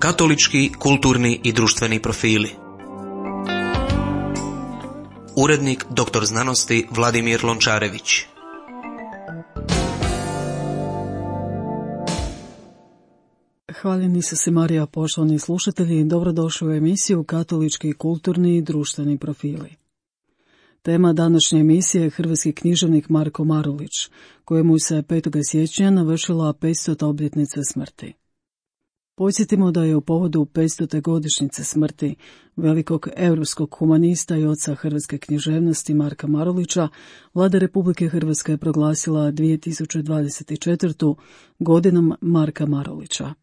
Katolički, kulturni i društveni profili. Urednik dr. znanosti Vladimir Lončarević. Hvaljeni se Marija, poštovani slušatelji, dobrodošli u emisiju Katolički, kulturni i društveni profili. Tema današnje emisije je hrvatski književnik Marko Marulić, kojemu se 5. siječnja navršila 500. obljetnica smrti. Podsjetimo da je u povodu 500. godišnjice smrti velikog europskog humanista i oca hrvatske književnosti Marka Marulića, Vlada Republike Hrvatske je proglasila 2024. godinom Marka Marulića.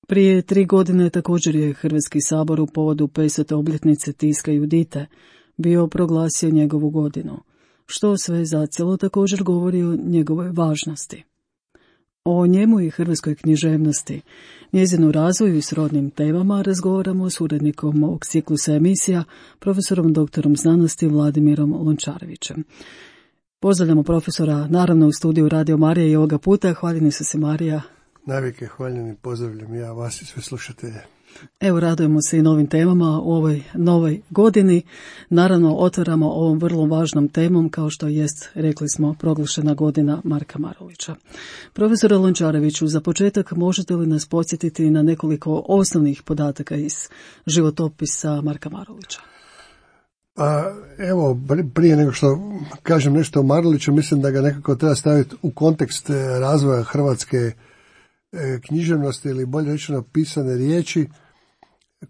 Prije 3 godine također je Hrvatski sabor u povodu 500. obljetnice tiska Judite bio proglasio njegovu godinu, što sve zacijelo također govori o njegovoj važnosti. O njemu i hrvatskoj književnosti, njezinu razvoju i srodnim temama razgovaramo s urednikom ovog ciklusa emisija, profesorom doktorom znanosti Vladimirom Lončarevićem. Pozdravljamo profesora, naravno u studiju Radio Marija i ovoga puta. Hvaljeni su se Marija. Navike, hvaljeni, pozdravljam ja vas i sve slušatelje. Evo, radujemo se i novim temama u ovoj novoj godini. Naravno, otvaramo ovom vrlo važnom temom, kao što jest, rekli smo, proglašena godina Marka Marulića. Profesore Lončareviću, za početak možete li nas podsjetiti na nekoliko osnovnih podataka iz životopisa Marka Marulića? Evo, prije nego što kažem nešto o Maruliću, mislim da ga nekako treba staviti u kontekst razvoja hrvatske književnosti, ili bolje rečeno pisane riječi,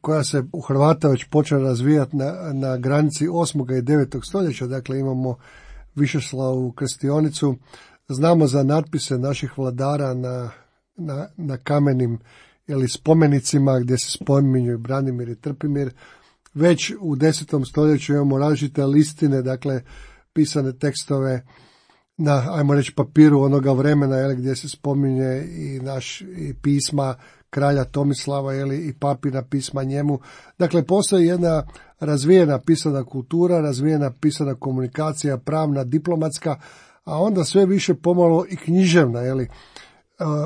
koja se u Hrvata već počela razvijati na granici 8. i 9. stoljeća. Dakle, imamo Višeslavu krstionicu, znamo za natpise naših vladara na kamenim ili spomenicima gdje se spominju Branimir i Trpimir. Već u 10. stoljeću imamo različite listine, dakle pisane tekstove na, ajmo reći, papiru onoga vremena, gdje se spominje i pisma kralja Tomislava, i papina pisma njemu. Dakle, postoji jedna razvijena pisana kultura, razvijena pisana komunikacija, pravna, diplomatska, a onda sve više pomalo i književna.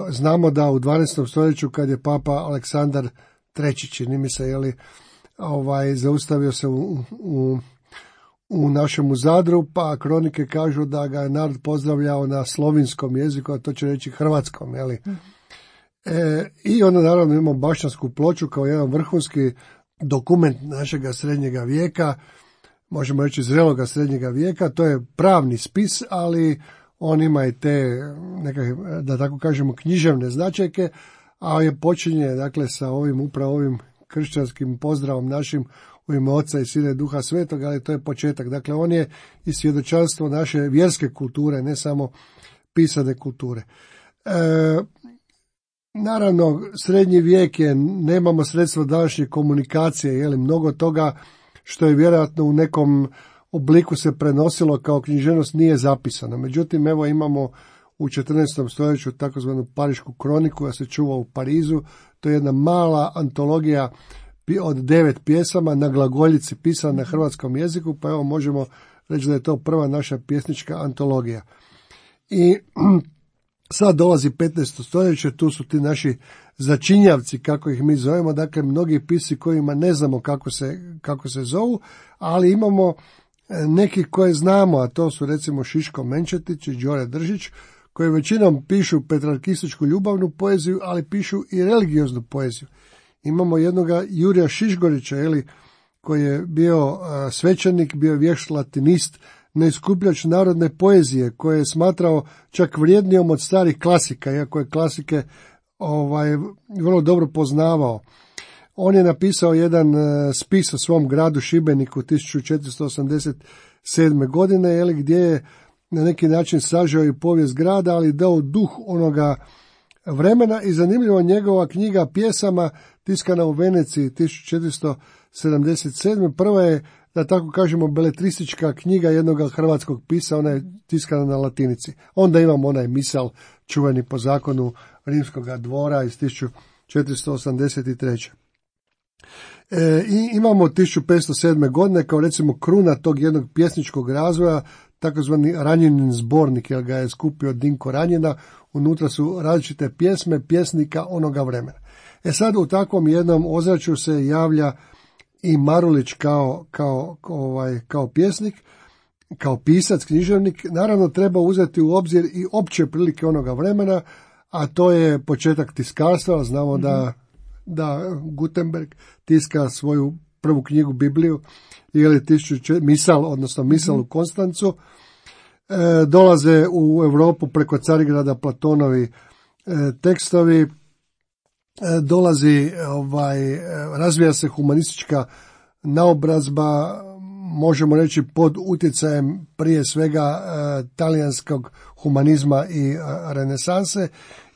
Znamo da u 12. stoljeću, kad je papa Aleksandar III, čini mi se, zaustavio se u našemu Zadru, pa kronike kažu da ga je narod pozdravljao na slovinskom jeziku, a to će reći hrvatskom. I onda naravno imamo Bašćansku ploču kao jedan vrhunski dokument našega srednjega vijeka, možemo reći zreloga srednjega vijeka. To je pravni spis, ali on ima i te nekakve, da tako kažemo, književne značajke, a je počinje dakle sa upravo ovim kršćanskim pozdravom našim u ime Oca i Sina i Duha Svetog, ali to je početak. Dakle, on je i svjedočanstvo naše vjerske kulture, ne samo pisane kulture. Naravno, srednji vijek je, nemamo sredstva današnje komunikacije, mnogo toga što je vjerojatno u nekom obliku se prenosilo kao književnost nije zapisano. Međutim, evo imamo u 14. stoljeću takozvanu Parišku kroniku koja se čuva u Parizu. To je jedna mala antologija od 9 pjesama na glagoljici pisana na hrvatskom jeziku, pa evo možemo reći da je to prva naša pjesnička antologija. I sad dolazi 15. stoljeće, tu su ti naši začinjavci, kako ih mi zovemo, dakle mnogi pisci kojima ne znamo kako se zovu, ali imamo neki koje znamo, a to su recimo Šiško Menčetić i Đore Držić, koji većinom pišu petrarkističku ljubavnu poeziju, ali pišu i religioznu poeziju. Imamo jednoga Jurija Šišgorića, koji je bio svećenik, bio vješt latinist, neiskupljač narodne poezije, koje je smatrao čak vrijednijom od starih klasika, iako je klasike vrlo dobro poznavao. On je napisao jedan spis o svom gradu Šibeniku 1487. godine, gdje je na neki način sažeo i povijest grada, ali dao duh onoga vremena. I zanimljivo, njegova knjiga pjesama tiskana u Veneciji 1477. prva je, da tako kažemo, beletristička knjiga jednog hrvatskog pisa, ona je tiskana na latinici. Onda imamo onaj misal čuveni po zakonu rimskog dvora iz 1483. I imamo 1507. godine kao recimo kruna tog jednog pjesničkog razvoja takozvani Ranjinin zbornik, jer ga je skupio Dinko Ranjina. Unutra su različite pjesme pjesnika onoga vremena. Sad u takvom jednom ozračju se javlja i Marulić kao pjesnik, kao pisac, književnik. Naravno treba uzeti u obzir i opće prilike onoga vremena, a to je početak tiskarstva. Znamo da Gutenberg tiska svoju prvu knjigu Bibliju, ili misal u Konstancu. Dolaze u Europu preko Carigrada Platonovi tekstovi, razvija se humanistička naobrazba, možemo reći pod utjecajem prije svega talijanskog humanizma i renesanse,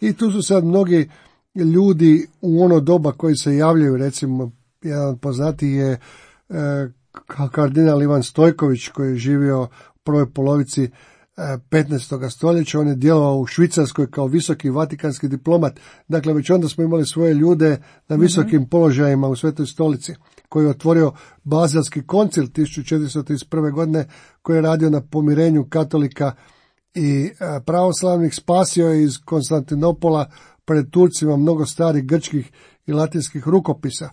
i tu su sad mnogi ljudi u ono doba koji se javljaju. Recimo jedan od poznatiji je kardinal Ivan Stojković, koji je živio u prvoj polovici 15. stoljeća. On je djelovao u Švicarskoj kao visoki vatikanski diplomat. Dakle, već onda smo imali svoje ljude na visokim položajima u Svetoj stolici, koji je otvorio Bazelski koncil 1431. godine, koji je radio na pomirenju katolika i pravoslavnih. Spasio je iz Konstantinopola pred Turcima mnogo starih grčkih i latinskih rukopisa.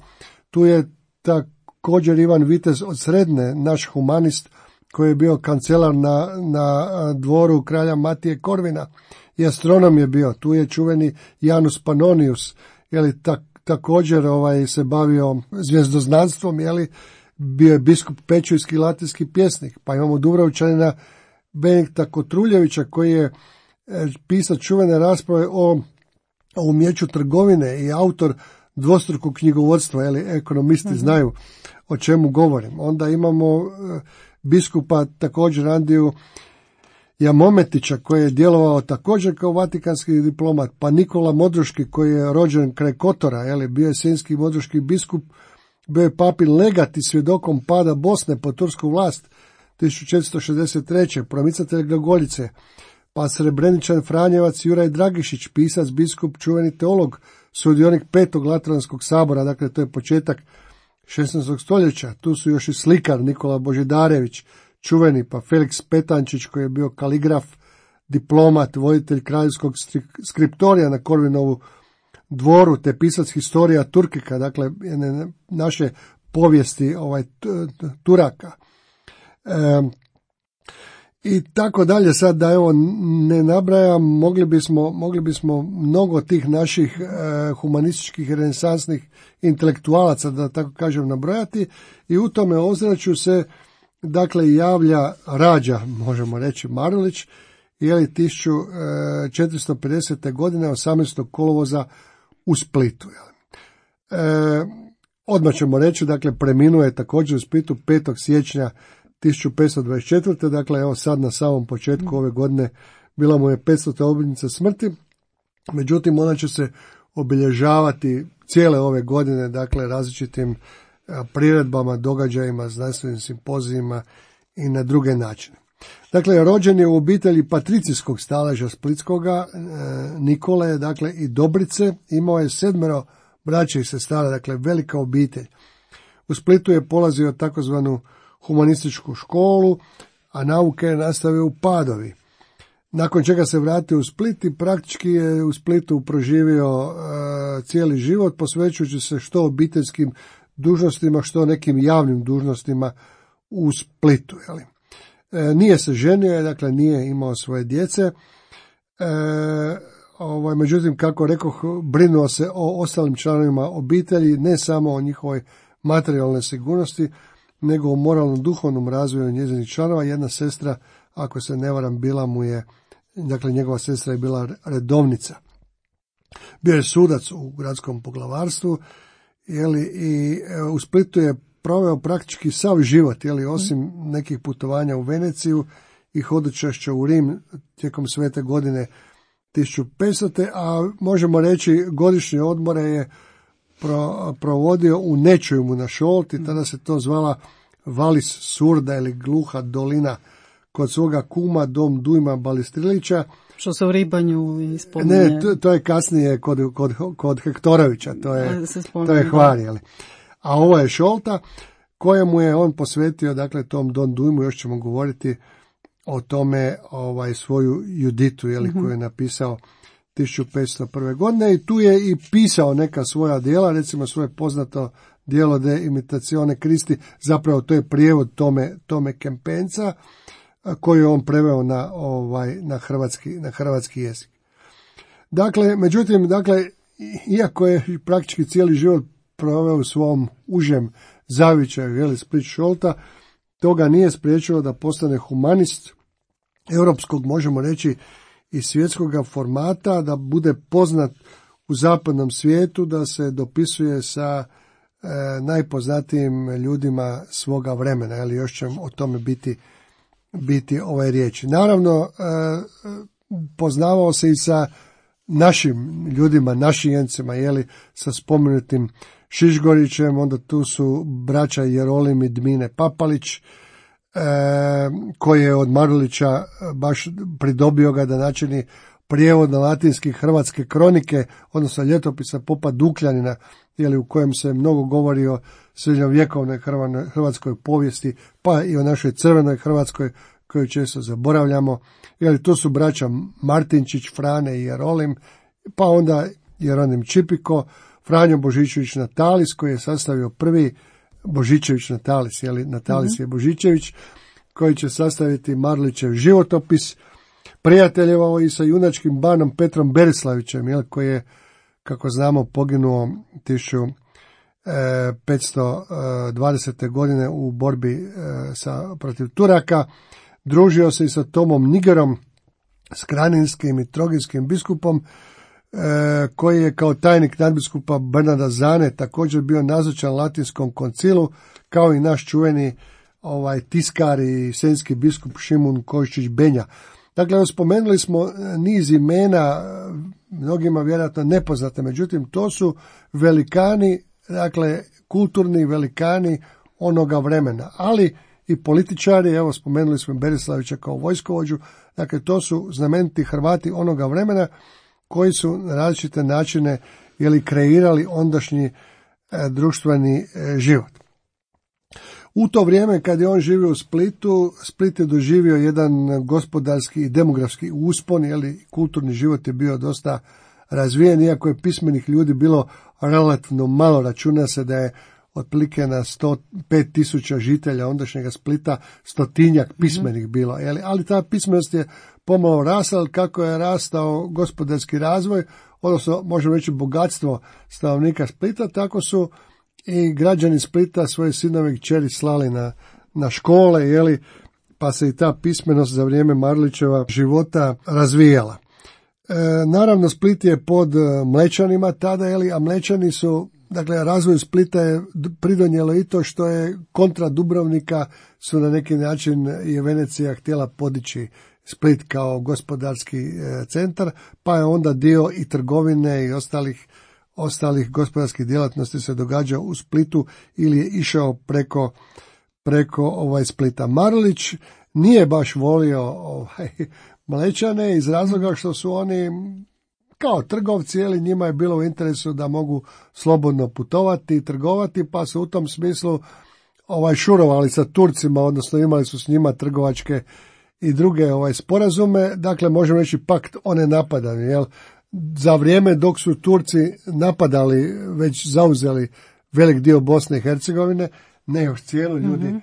Tu je također Ivan Vitez od Sredne, naš humanist, koji je bio kancelar na dvoru kralja Matije Korvina, i astronom je bio. Tu je čuveni Janus Pannonius, također se bavio zvjezdoznanstvom, bio je biskup Pećujski, latinski pjesnik. Pa imamo Dubrovčanina Benedikta Kotruljevića, koji je pisao čuvene rasprave o umjeću trgovine i autor dvostrukog knjigovodstva, ekonomisti znaju o čemu govorim. Onda imamo biskupa također Andiju Jamometića, koji je djelovao također kao vatikanski diplomat, pa Nikola Modruški, koji je rođen kraj Kotora, bio je senjski modruški biskup, bio je papin legat i svjedokom pada Bosne pod tursku vlast 1463. promicatelj glagoljice, pa Srebreničan Franjevac Juraj Dragišić, pisac, biskup, čuveni teolog, sudionik 5. Lateranskog sabora, dakle to je početak 16. stoljeća. Tu su još i slikar Nikola Božidarević, čuveni, pa Felix Petančić, koji je bio kaligraf, diplomat, voditelj kraljevskog skriptorija na Korvinovu dvoru, te pisac historija Turkika, dakle naše povijesti Turaka. I tako dalje, sad da ne nabrajam, mogli bismo mnogo tih naših humanističkih renesansnih intelektualaca, da tako kažem, nabrojati, i u tome ozračju se dakle rađa, možemo reći, Marulić, 1450. godine 18. kolovoza u Splitu. Odmah ćemo reći, dakle preminuo je također u Splitu 5. siječnja 1524. Dakle, sad na samom početku ove godine bila mu je 500. obljetnica smrti. Međutim, ona će se obilježavati cijele ove godine, dakle, različitim priredbama, događajima, znanstvenim simpozijima i na druge načine. Dakle, rođen je u obitelji patricijskog staleža splitskoga, Nikole, dakle, i Dobrice. Imao je 7 braće i sestara, dakle, velika obitelj. U Splitu je polazio takozvanu humanističku školu, a nauke je nastavio u Padovi. Nakon čega se vratio u Split i praktički je u Splitu proživio cijeli život, posvećujući se što obiteljskim dužnostima, što nekim javnim dužnostima u Splitu. Nije se ženio, dakle nije imao svoje djece, međutim, kako rekoh, brinuo se o ostalim članovima obitelji, ne samo o njihovoj materijalnoj sigurnosti, nego o moralnom duhovnom razvoju njezinih članova. Jedna sestra, ako se ne varam, njegova sestra je bila redovnica. Bio je sudac u gradskom poglavarstvu, i u Splitu je proveo praktički sav život, osim nekih putovanja u Veneciju i hodočašća u Rim tijekom svete godine 1500. A možemo reći godišnje odmore je provodio u Nečujmu na Šolti, tada se to zvala Valis Surda ili Gluha dolina, kod svoga kuma Dom Dujma Balistrilića. Što se u Ribanju spominje. Ne, to je kasnije kod Hektorovića, to je Hvar, a ovo je Šolta, kojemu je on posvetio, dakle, tom Don Dujmu, još ćemo govoriti o tome svoju Juditu, koju je napisao 1501. godine, i tu je i pisao neka svoja djela, recimo svoje poznato djelo De Imitazione Christi, zapravo to je prijevod Tome Kempenca, koji je on preveo na hrvatski jezik. Međutim, iako je praktički cijeli život proveo u svom užem zavičaju, Split Šolta, to ga nije spriječilo da postane humanist europskog, možemo reći, i svjetskog formata, da bude poznat u zapadnom svijetu, da se dopisuje sa najpoznatijim ljudima svoga vremena, još će o tome biti riječi. Naravno, poznavao se i sa našim ljudima, našijencima, sa spomenutim Šišgorićem, onda tu su braća Jerolim i Dmine Papalić, koji je od Marulića baš pridobio ga da načini prijevod na latinski hrvatske kronike, odnosno ljetopisa popa Dukljanina, u kojem se mnogo govori o srednjovjekovnoj hrvatskoj povijesti, pa i o našoj crvenoj Hrvatskoj, koju često zaboravljamo. Tu su braća Martinčić, Frane i Jerolim, pa onda Jeronim Čipiko, Franjo Božičević Natalis, koji je sastavio prvi Božičević Natalis, Natalis je Božičević, koji će sastaviti Marulićev životopis, prijateljevao i sa junačkim banom Petrom Berislavićem, koji je, kako znamo, poginuo 1520. godine u borbi protiv Turaka. Družio se i sa Tomom Nigerom, skraninskim i troginskim biskupom, koji je kao tajnik nadbiskupa Bernarda Zane također bio nazočan latinskom koncilu, kao i naš čuveni tiskar i senjski biskup Šimun Kojičić Benja. Spomenuli smo niz imena, mnogima vjerojatno nepoznate, međutim to su velikani, kulturni velikani onoga vremena, ali i političari, spomenuli smo Berislavića kao vojskovođu, to su znameniti Hrvati onoga vremena koji su na različite načine kreirali ondašnji društveni život. U to vrijeme kad je on živio u Splitu, Split je doživio jedan gospodarski i demografski uspon, kulturni život je bio dosta razvijen, iako je pismenih ljudi bilo relativno malo. Računa se da je otprilike na 105.000 žitelja ondašnjega Splita 100-tinjak pismenih bilo, ali ta pismenost je pomalo rasla. Kako je rastao gospodarski razvoj, odnosno možemo reći bogatstvo stanovnika Splita, tako su i građani Splita svoje sinove i kćeri slali na škole, pa se i ta pismenost za vrijeme Marulićeva života razvijala. Naravno, Split je pod Mlečanima tada, a Mlečani su, razvoju Splita je pridonijelo i to što je kontra Dubrovnika su na neki način je Venecija htjela podići Split kao gospodarski centar, pa je onda dio i trgovine i ostalih gospodarskih djelatnosti se događao u Splitu ili je išao preko Splita. Marulić nije baš volio Mlečane iz razloga što su oni kao trgovci, njima je bilo u interesu da mogu slobodno putovati i trgovati, pa su u tom smislu šurovali sa Turcima, odnosno imali su s njima trgovačke i druge sporazume. Možemo reći pakt o nenapadanju, za vrijeme dok su Turci napadali, već zauzeli velik dio Bosne i Hercegovine, ne još cijelu, ljudi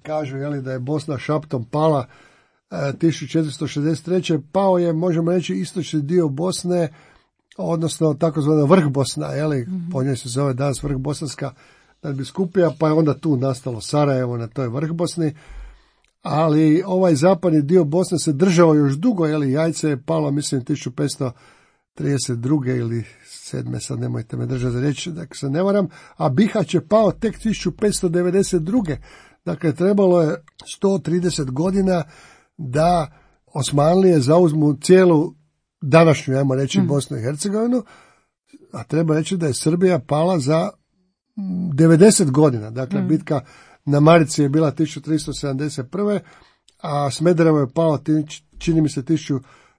kažu da je Bosna šaptom pala 1463. Pao je, možemo reći, istočni dio Bosne, odnosno takozvana vrh Bosna, po njoj se zove danas vrh Bosanska nadbiskupija, pa je onda tu nastalo Sarajevo na toj vrh Bosni, ali ovaj zapadni dio Bosne se držao još dugo, Jajce je palo, mislim, 1532. ili 7. sad nemojte me držati za riječ, se ne varam, a Bihać je pao tek 1592. Trebalo je 130 godina da Osmanlije zauzmu cijelu današnju, ajmo reći, Bosnu i Hercegovinu, a treba reći da je Srbija pala za 90 godina. Bitka na Marici je bila 1371. a Smederevo je palo, čini mi se,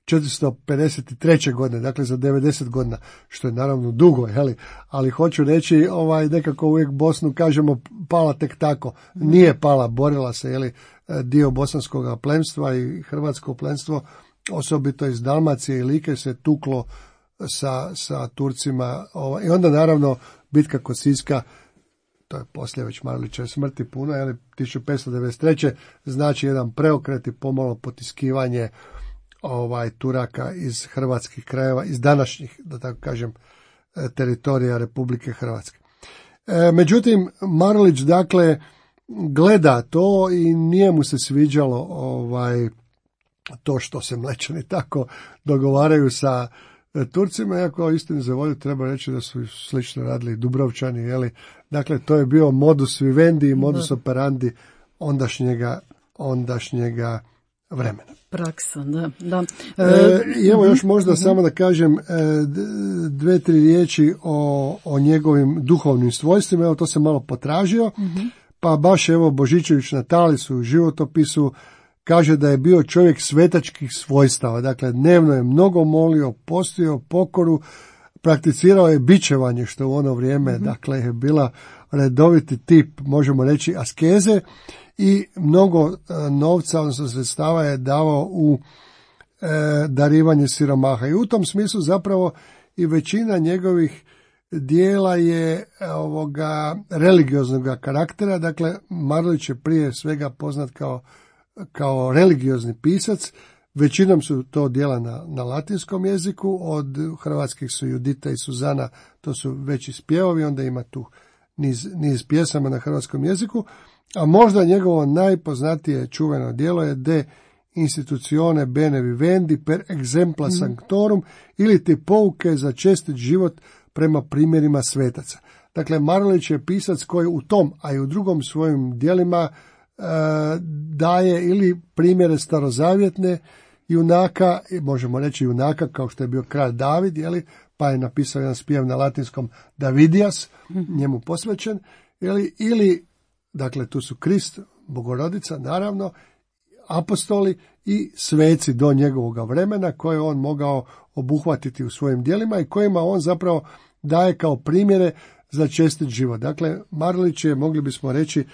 1453. godine, dakle za 90 godina, što je naravno dugo, ali hoću reći, nekako uvijek Bosnu kažemo pala tek tako. Nije pala, borila se, dio bosanskog plemstva i hrvatsko plemstvo, osobito iz Dalmacije i Like, se tuklo sa Turcima, i onda naravno bitka kod Siska, to je poslije već Marulićeve smrti puno, 1593. znači jedan preokret i pomalo potiskivanje Turaka iz hrvatskih krajeva, iz današnjih, da tako kažem, teritorija Republike Hrvatske. Međutim, Marulić dakle gleda to i nije mu se sviđalo to što se Mlečani tako dogovaraju sa Turcima, iako istini za volju treba reći da su slično radili i Dubrovčani, dakle to je bio modus vivendi i modus operandi ondašnjega vremena. Praksa, da. I evo još možda samo da kažem 2-3 riječi o njegovim duhovnim svojstvima, evo to se malo potražio, pa baš evo Božičević Natalis u životopisu kaže da je bio čovjek svetačkih svojstava, dakle dnevno je mnogo molio, postio pokoru, prakticirao je bičevanje, što u ono vrijeme dakle je bila redoviti tip, možemo reći, askeze, i mnogo novca, odnosno sredstava je davao u darivanje siromaha. I u tom smislu zapravo i većina njegovih dijela je religioznog karaktera, dakle Marulić je prije svega poznat kao religiozni pisac, većinom su to dijela na latinskom jeziku, od hrvatskih su Judita i Suzana, to su veći spjevovi, onda ima tu niz pjesama na hrvatskom jeziku, a možda njegovo najpoznatije čuveno djelo je De institutione bene vivendi per exempla sanctorum, ili ti pouke za čestit život prema primjerima svetaca. Dakle, Marulić je pisac koji u tom, a i u drugom svojim djelima daje ili primjere starozavjetne junaka, možemo reći junaka kao što je bio kralj David, pa je napisao jedan spjev na latinskom Davidias, njemu posvećen, ili dakle tu su Krist, Bogorodica naravno, apostoli i sveci do njegovoga vremena koje on mogao obuhvatiti u svojim djelima i kojima on zapravo daje kao primjere za čestit život. Dakle, Marulić je, mogli bismo reći,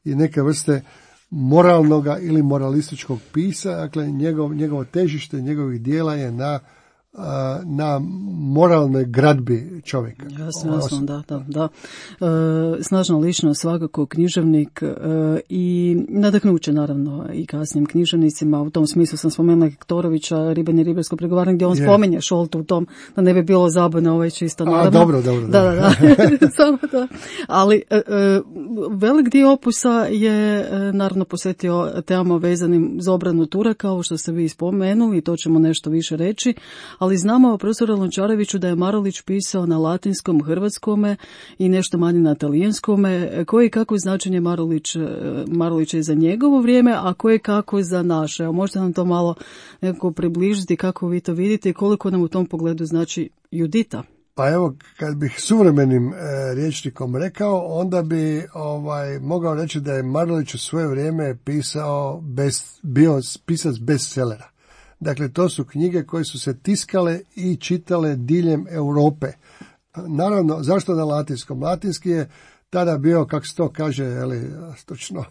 i neke vrste moralnoga ili moralističkog pisa, dakle njegovo težište njegovih djela je na moralnoj gradbi čovjeka. Jasno, da. Snažna ličnost, svakako književnik i nadahnuće naravno i kasnijim književnicima. U tom smislu sam spomenula Hektorovića, Riben i ribarsko pregovaranje, gdje on spominje Šoltu u tom, da ne bi bilo zabune čisto naravno. Dobro. Da. Samo da. Ali velik dio opusa je naravno posvetio temama vezanim za obranu Turaka, kao što ste vi spomenuli, to ćemo nešto više reći. Ali znamo o profesoru Lončareviću da je Marulić pisao na latinskom, hrvatskome i nešto manje na talijanskome. Koje i kako značenje Marulića je za njegovo vrijeme, a koje kako za naše? Evo, možete nam to malo nekako približiti, kako vi to vidite i koliko nam u tom pogledu znači Judita? Pa evo, kad bih suvremenim rječnikom rekao, onda bi mogao reći da je Marulić u svoje vrijeme bio pisac bestsellera. Dakle, to su knjige koje su se tiskale i čitale diljem Europe. Naravno, zašto na latinskom? Latinski je tada bio, kako se to kaže, stručno,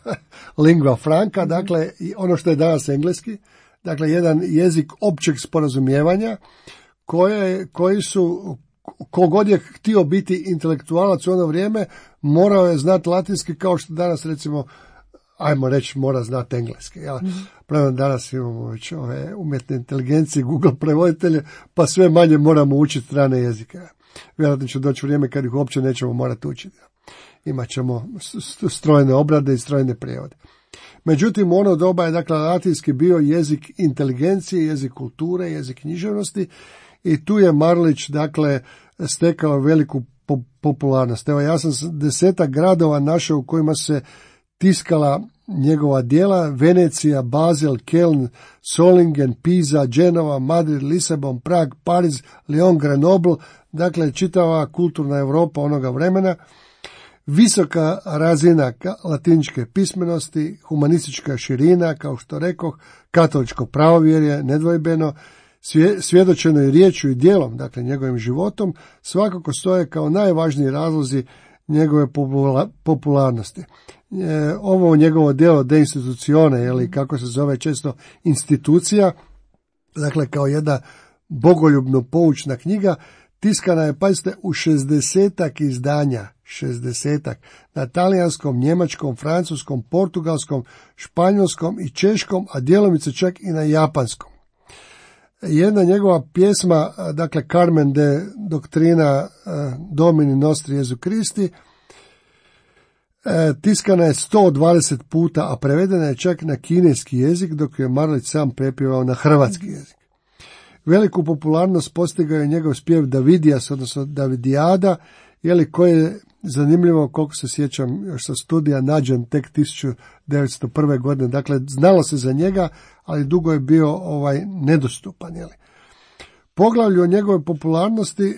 lingua franca, dakle, ono što je danas engleski, dakle, jedan jezik općeg sporazumijevanja, koji su, kogod je htio biti intelektualac u ono vrijeme, morao je znati latinski, kao što danas, recimo, ajmo reći, mora znati engleski. Prema danas imamo već ove umjetne inteligencije, Google prevoditelje, pa sve manje moramo učiti strane jezike. Vjerojatno će doći vrijeme kad ih uopće nećemo morati učiti. Imat ćemo strojne obrade i strojne prijevode. Međutim, u ono doba je, dakle, latinski bio jezik inteligencije, jezik kulture, jezik književnosti i tu je Marulić, dakle, stekao veliku popularnost. Evo, ja sam 10 gradova našao u kojima se tiskala njegova djela: Venecija, Basel, Keln, Solingen, Pisa, Genova, Madrid, Lisabon, Prag, Pariz, Lyon, Grenoble, dakle čitava kulturna Europa onoga vremena. Visoka razina latiničke pismenosti, humanistička širina, kao što rekoh, katoličko pravovjerje, nedvojbeno, svjedočeno je riječju i djelom, dakle njegovim životom, svakako stoje kao najvažniji razlozi njegove popularnosti. Ovo njegovo djelo De institucione, ili kako se zove često institucija, dakle kao jedna bogoljubno poučna knjiga, tiskana je, pazite, u 60-ak izdanja, 60-ak, na talijanskom, njemačkom, francuskom, portugalskom, španjolskom i češkom, a djelomice čak i na japanskom. Jedna njegova pjesma, dakle Carmen de Doctrina Domini Nostri Jesu Christi, tiskana je 120 puta, a prevedena je čak na kineski jezik, dok je Marulić sam prepjevao na hrvatski jezik. Veliku popularnost postigao je njegov spjev Davidijas, odnosno Davidijada, koji je zanimljivo, koliko se sjećam, još sa studija nađen tek 1901. godine. Dakle, znalo se za njega, ali dugo je bio nedostupan. Poglavlju o njegove popularnosti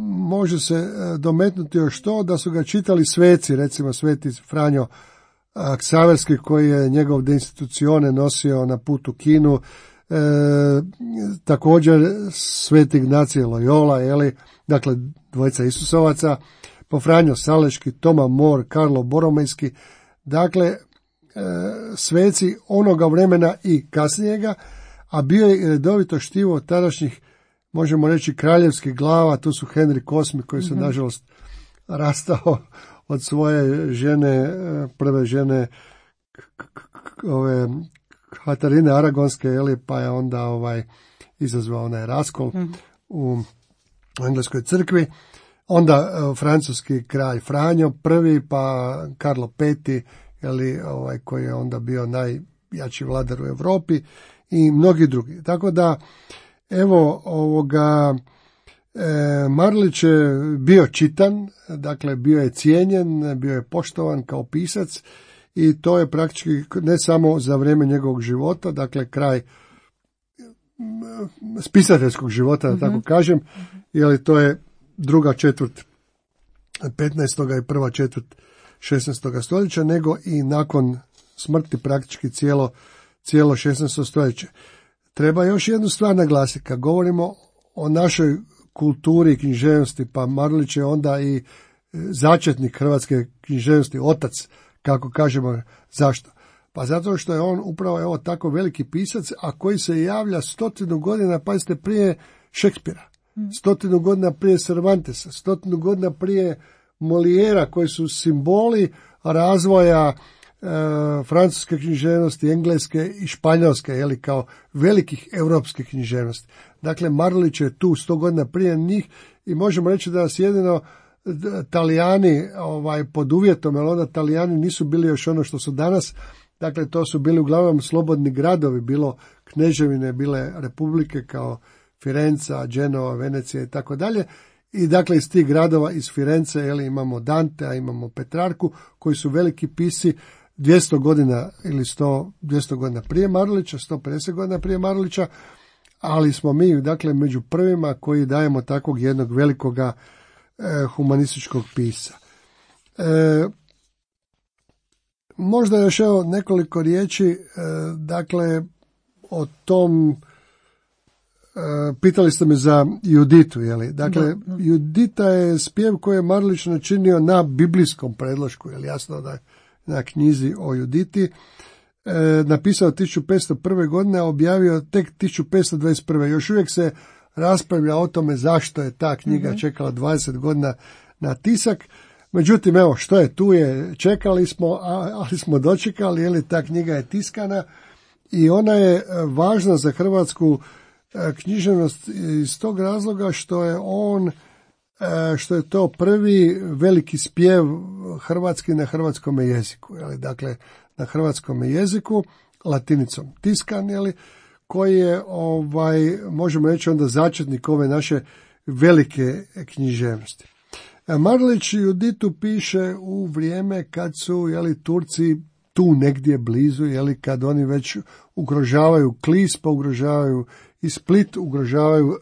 može se dometnuti još to da su ga čitali sveci, recimo sveti Franjo Ksaverski, koji je njegov De institucione nosio na put u Kinu, također sveti Ignacije Loyola, dakle dvojica Isusovaca, po Franjo Saleški, Toma Mor, Karlo Boromejski, dakle sveci onoga vremena i kasnijega, a bio je redovito štivo tadašnjih, možemo reći, kraljevskih glava. Tu su Henrik VIII, koji se nažalost rastao od svoje žene, prve žene Katarine Aragonske, pa je onda izazvao onaj raskol u engleskoj crkvi. Onda francuski kralj Franjo I, pa Karlo V, koji je onda bio najjači vladar u Europi, i mnogi drugi. Tako da, evo, Marulić je bio čitan, dakle bio je cijenjen, bio je poštovan kao pisac, i to je praktički ne samo za vrijeme njegovog života, dakle kraj spisateljskog života, da tako kažem, to je druga četvrt 15. i prva četvrt 16. stoljeća, nego i nakon smrti praktički cijelo 16. stoljeće. Treba još jednu stvar naglasiti, kad govorimo o našoj kulturi i književnosti, pa Marulić je onda i začetnik hrvatske književnosti, otac, kako kažemo. Zašto? Pa zato što je on upravo tako veliki pisac, a koji se javlja 100 godina, pazite, prije Šekspira, 100 godina prije Cervantesa, 100 godina prije Molijera, koji su simboli razvoja francuske književnosti, engleske i španjolske, kao velikih europskih književnosti. Dakle, Marulić je tu 100 godina prije njih, i možemo reći da nas jedino Talijani pod uvjetom, jer onda Talijani nisu bili još ono što su danas, dakle to su bili uglavnom slobodni gradovi, bilo kneževine, bile republike kao Firenca, Genova, Venecija i tako dalje. I dakle iz tih gradova, iz Firence, imamo Dantea, imamo Petrarku, koji su veliki pisci 200 godina ili 200 godina prije Marulića, 150 godina prije Marulića, ali smo mi dakle među prvima koji dajemo takvog jednog velikoga humanističkog pisca. Možda još nekoliko riječi, dakle o tom, pitali ste me za Juditu, dakle Judita je spjev koji je Marulić načinio na biblijskom predlošku, jasno da je na knjizi o Juditi, napisao 1501. godine, a objavio tek 1521. Još uvijek se raspravlja o tome zašto je ta knjiga čekala 20 godina na tisak. Međutim, evo, što je tu je, čekali smo, ali smo dočekali, ta knjiga je tiskana i ona je važna za hrvatsku književnost iz tog razloga što je to prvi veliki spjev hrvatski na hrvatskom jeziku, dakle na hrvatskom jeziku, latinicom tiskan, koji je, možemo reći onda začetnik ove naše velike književnosti. Marulić Juditu piše u vrijeme kad su, Turci tu negdje blizu, kad oni već ugrožavaju Klis, pa ugrožavaju i Split, ugrožavaju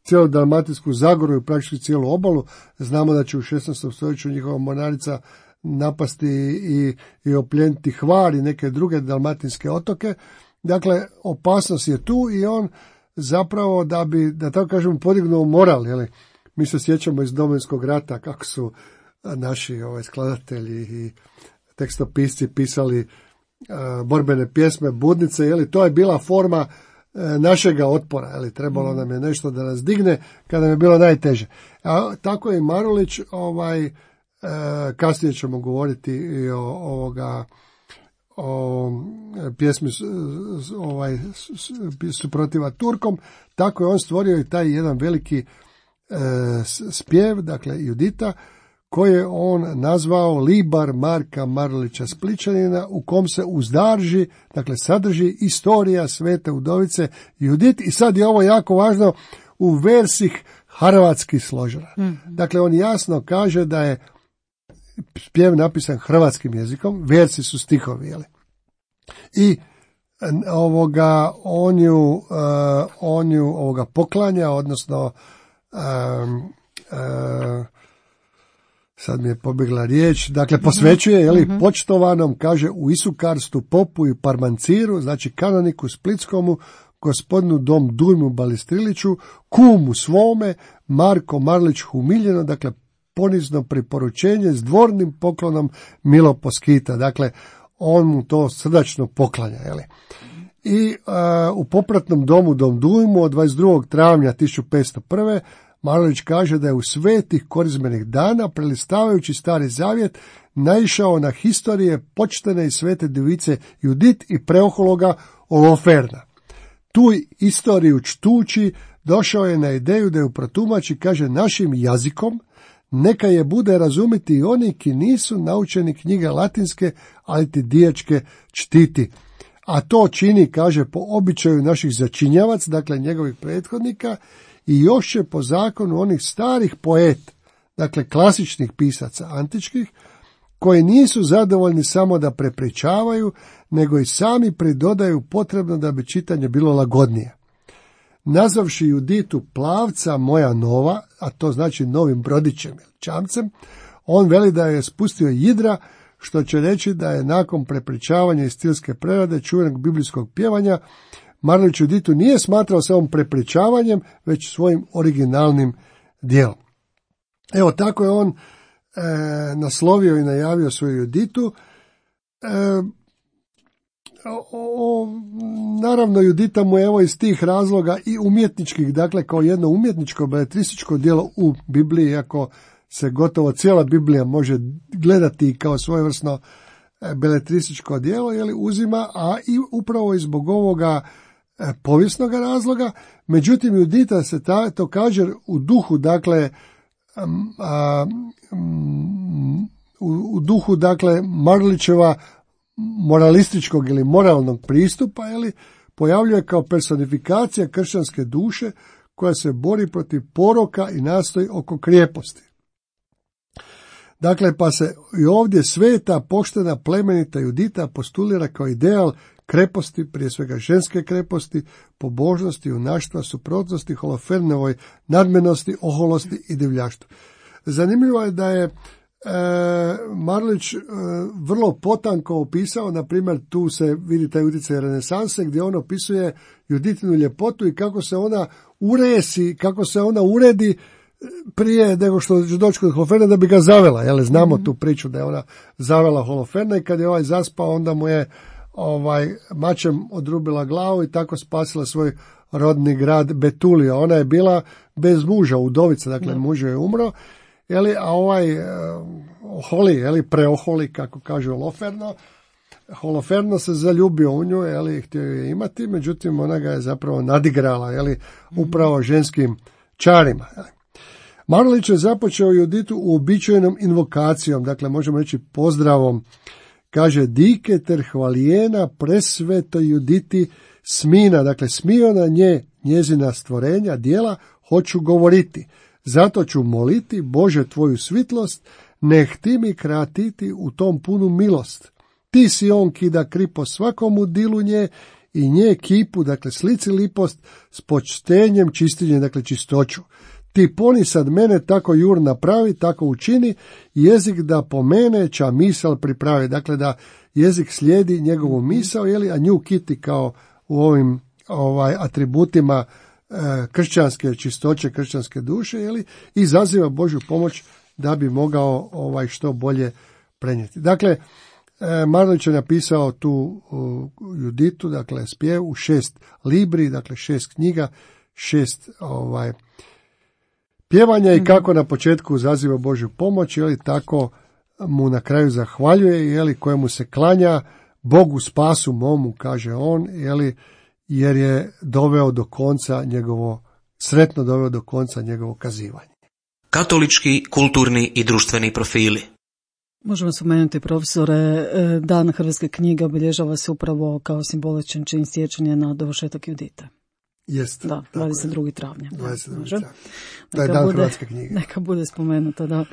cijelu Dalmatinsku zagoru i praktički cijelu obalu. Znamo da će u 16. stoljeću njihova mornarica napasti i opljeniti Hvar i neke druge dalmatinske otoke. Dakle, opasnost je tu i on zapravo da bi, da tako kažemo, podignuo moral, jeli? Mi se sjećamo iz Domovinskog rata kako su naši skladatelji i tekstopisci pisali borbene pjesme, budnice, jeli? To je bila forma našega otpora, jeli? Trebalo nam je nešto da nas digne kada nam je bilo najteže. A tako je i Marulić, kasnije ćemo govoriti i o pjesmi suprotiva Turkom, tako je on stvorio i taj jedan veliki spjev, dakle Judita, koji je on nazvao Libar Marka Marulića Splićanina, u kom se uzdarži, dakle sadrži istorija svete udovice Judit, i sad je ovo jako važno, u versih hrvatskih složena. Dakle, on jasno kaže da je spjev napisan hrvatskim jezikom, versi su stihovi, jeli? I on ju poklanja, odnosno sad mi je pobjegla riječ, dakle posvećuje, jeli, počtovanom, kaže, u Isukarstu popu i Parmanciru, znači kanoniku Splitskomu, gospodinu Dom Dujmu Balistriliću, kumu svome, Marko Marulić Humiljeno, dakle ponizno priporučenje s dvornim poklonom Milo Poskita, dakle on mu to srdačno poklanja, jeli. I u popratnom domu Dom Dujmu od 22. travnja 1501. Marulić kaže da je u svetih korizmenih dana, prelistavajući Stari Zavjet, naišao na historije počtene i svete device Judit i preohologa Oloferna. Tu istoriju čtući, došao je na ideju da ju protumači, kaže, našim jazikom, neka je bude razumiti i oni ki nisu naučeni knjige latinske, ali ti dijačke čtiti. A to čini, kaže, po običaju naših začinjavac, dakle njegovih prethodnika, i još će po zakonu onih starih poeta, dakle klasičnih pisaca antičkih, koji nisu zadovoljni samo da prepričavaju, nego i sami pridodaju potrebno da bi čitanje bilo lagodnije. Nazavši Juditu plavca moja nova, a to znači novim brodićem ili čamcem, on veli da je spustio jidra, što će reći da je nakon prepričavanja i stilske prerade čuvenog biblijskog pjevanja Marulić Juditu nije smatrao samo prepričavanjem, već svojim originalnim dijelom. Evo, tako je on naslovio i najavio svoju Juditu. Naravno, Judita mu je evo iz tih razloga i umjetničkih, dakle kao jedno umjetničko beletrističko djelo u Bibliji, iako se gotovo cijela Biblija može gledati kao svojevrsno beletrističko djelo, jeli, uzima, a i upravo i zbog ovoga povijesnog razloga. Međutim, Judita se također u duhu, dakle, u duhu, dakle, Marulićeva moralističkog ili moralnog pristupa, jeli, pojavljuje kao personifikacija kršćanske duše koja se bori protiv poroka i nastoji oko krijeposti. Dakle, pa se i ovdje sveta, poštena, plemenita Judita postulira kao ideal kreposti, prije svega ženske kreposti, pobožnosti, junaštva, suprotnosti, Holofernovoj nadmenosti, oholosti i divljaštvu. Zanimljivo je da je Marulić vrlo potanko opisao, na primjer, tu se vidi taj utjecaj renesanse, gdje on opisuje Juditinu ljepotu i kako se ona uresi, kako se ona uredi prije nego što će doći kod Holoferna da bi ga zavela. Jel, znamo tu priču da je ona zavela Holoferna i kad je ovaj zaspao, onda mu je mačem odrubila glavu i tako spasila svoj rodni grad Betulio. Ona je bila bez muža, udovica, dakle muž je umro, jeli, a Oholi, jeli, preoholi, kako kaže Holoferno se zaljubio u nju, jeli, htio je imati, međutim ona ga je zapravo nadigrala, jeli, upravo ženskim čarima. Jeli. Marulić je započeo Juditu uobičajenom invokacijom, dakle možemo reći pozdravom, kaže dike ter hvalijena presveto Juditi smina, dakle smio na nje njezina stvorenja, djela, hoću govoriti. Zato ću moliti, Bože, tvoju svitlost, neh ti mi kratiti u tom punu milost. Ti si on ki da kripo svakomu dilu nje i nje kipu, dakle slici lipost, s počtenjem čistinje, dakle čistoću. Ti poni sad mene tako jur napravi, tako učini, jezik da po mene ča misal pripravi, dakle da jezik slijedi njegovu misao, jeli, a nju kiti kao u ovim atributima kršćanske čistoće, kršćanske duše, i zaziva Božju pomoć da bi mogao što bolje prenijeti. Dakle, Marulić je napisao tu Juditu, dakle spjev u 6 libri, dakle 6 knjiga, 6 pjevanja i kako na početku zaziva Božju pomoć, tako mu na kraju zahvaljuje, kojemu se klanja, Bogu spasu momu, kaže on, jer je doveo do konca sretno doveo do konca njegovo kazivanje. Katolički, kulturni i društveni profili. Možemo spomenuti, profesore, Dan hrvatske knjige obilježava se upravo kao simboličan čin sjećanja na dovršetak Judite. Jest. Da, 22. travnja. 22. travnja. To je Dan hrvatske knjige. Neka bude spomenuto, da.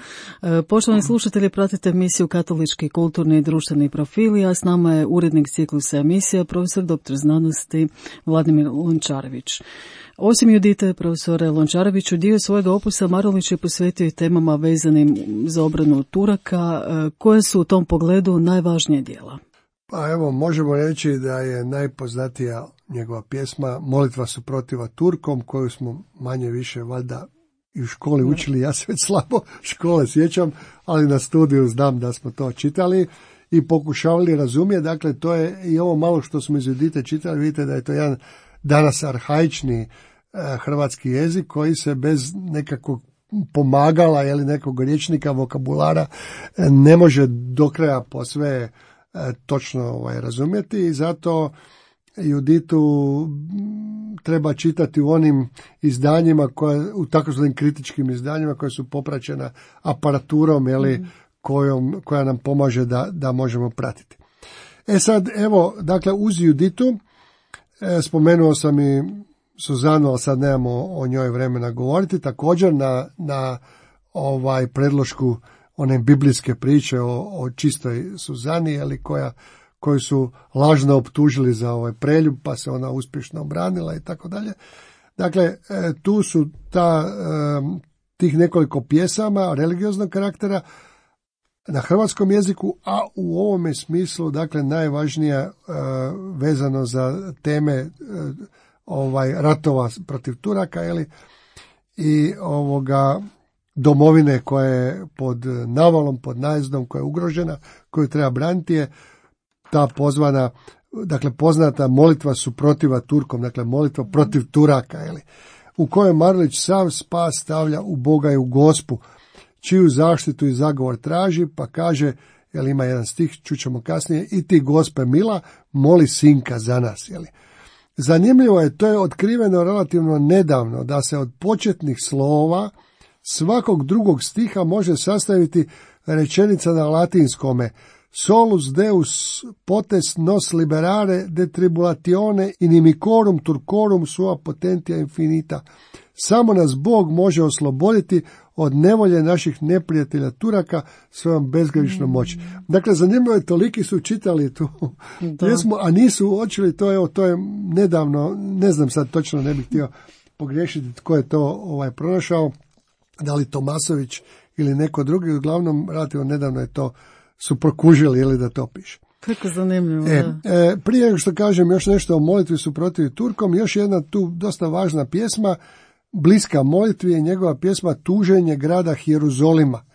Poštovani slušatelji, pratite emisiju Katolički, kulturni i društveni profili, a s nama je urednik ciklusa emisija, profesor dr. znanosti Vladimir Lončarević. Osim Judite, profesore Lončareviću, dio svojega opusa Marulić je posvetio i temama vezanim za obranu Turaka. Koje su u tom pogledu najvažnije djela? Pa evo, možemo reći da je najpoznatija njegova pjesma Molitva suprotiva Turkom, koju smo manje više valjda i u školi učili, ja se već slabo škole sjećam, ali na studiju znam da smo to čitali i pokušavali razumjeti. Dakle, to je i ovo malo što smo iz Judite čitali, vidite da je to jedan danas arhaični hrvatski jezik koji se bez nekakvog pomagala ili nekog rječnika, vokabulara ne može do kraja posve točno razumjeti, i zato Juditu treba čitati u onim izdanjima, u takozvanim kritičkim izdanjima koja su popraćena aparaturom koja nam pomaže da možemo pratiti. Sad, evo, dakle, uz Juditu spomenuo sam i Suzanu, ali sad nemamo o njoj vremena govoriti, također na predlošku one biblijske priče o čistoj Suzani, koju su lažno optužili za preljub, pa se ona uspješno obranila i tako dalje. Dakle, tu su tih nekoliko pjesama religioznog karaktera na hrvatskom jeziku, a u ovome smislu, dakle, najvažnija vezano za teme ratova protiv Turaka, i domovine koja je pod navalom, pod najezdom, koja je ugrožena, koju treba braniti, je ta poznata molitva suprotiva Turkom, dakle molitva protiv Turaka, u kojoj Marulić sav spas stavlja u Boga i u Gospu, čiju zaštitu i zagovor traži, pa kaže, ima jedan stih, čućemo kasnije, i ti Gospe mila, moli sinka za nas. Zanimljivo je, to je otkriveno relativno nedavno, da se od početnih slova svakog drugog stiha može sastaviti rečenica na latinskome: solus deus potes nos liberare de tribulatione inimicorum turcorum sua potentia infinita. Samo nas Bog može osloboditi od nevolje naših neprijatelja Turaka svojom bezgraničnom moći. Dakle, zanimljivo je, toliki su čitali tu pjesmu, a nisu uočili to je nedavno, ne znam sad točno, ne bih htio pogriješiti tko je to pronašao, da li Tomasović ili neko drugi, uglavnom relativno nedavno je to su prokužili da to piše. Kako zanimljivo. Prije nego što kažem još nešto o molitvi suprotiv Turkom, još jedna tu dosta važna pjesma, bliska molitvi, je njegova pjesma Tuženje grada Jeruzalema.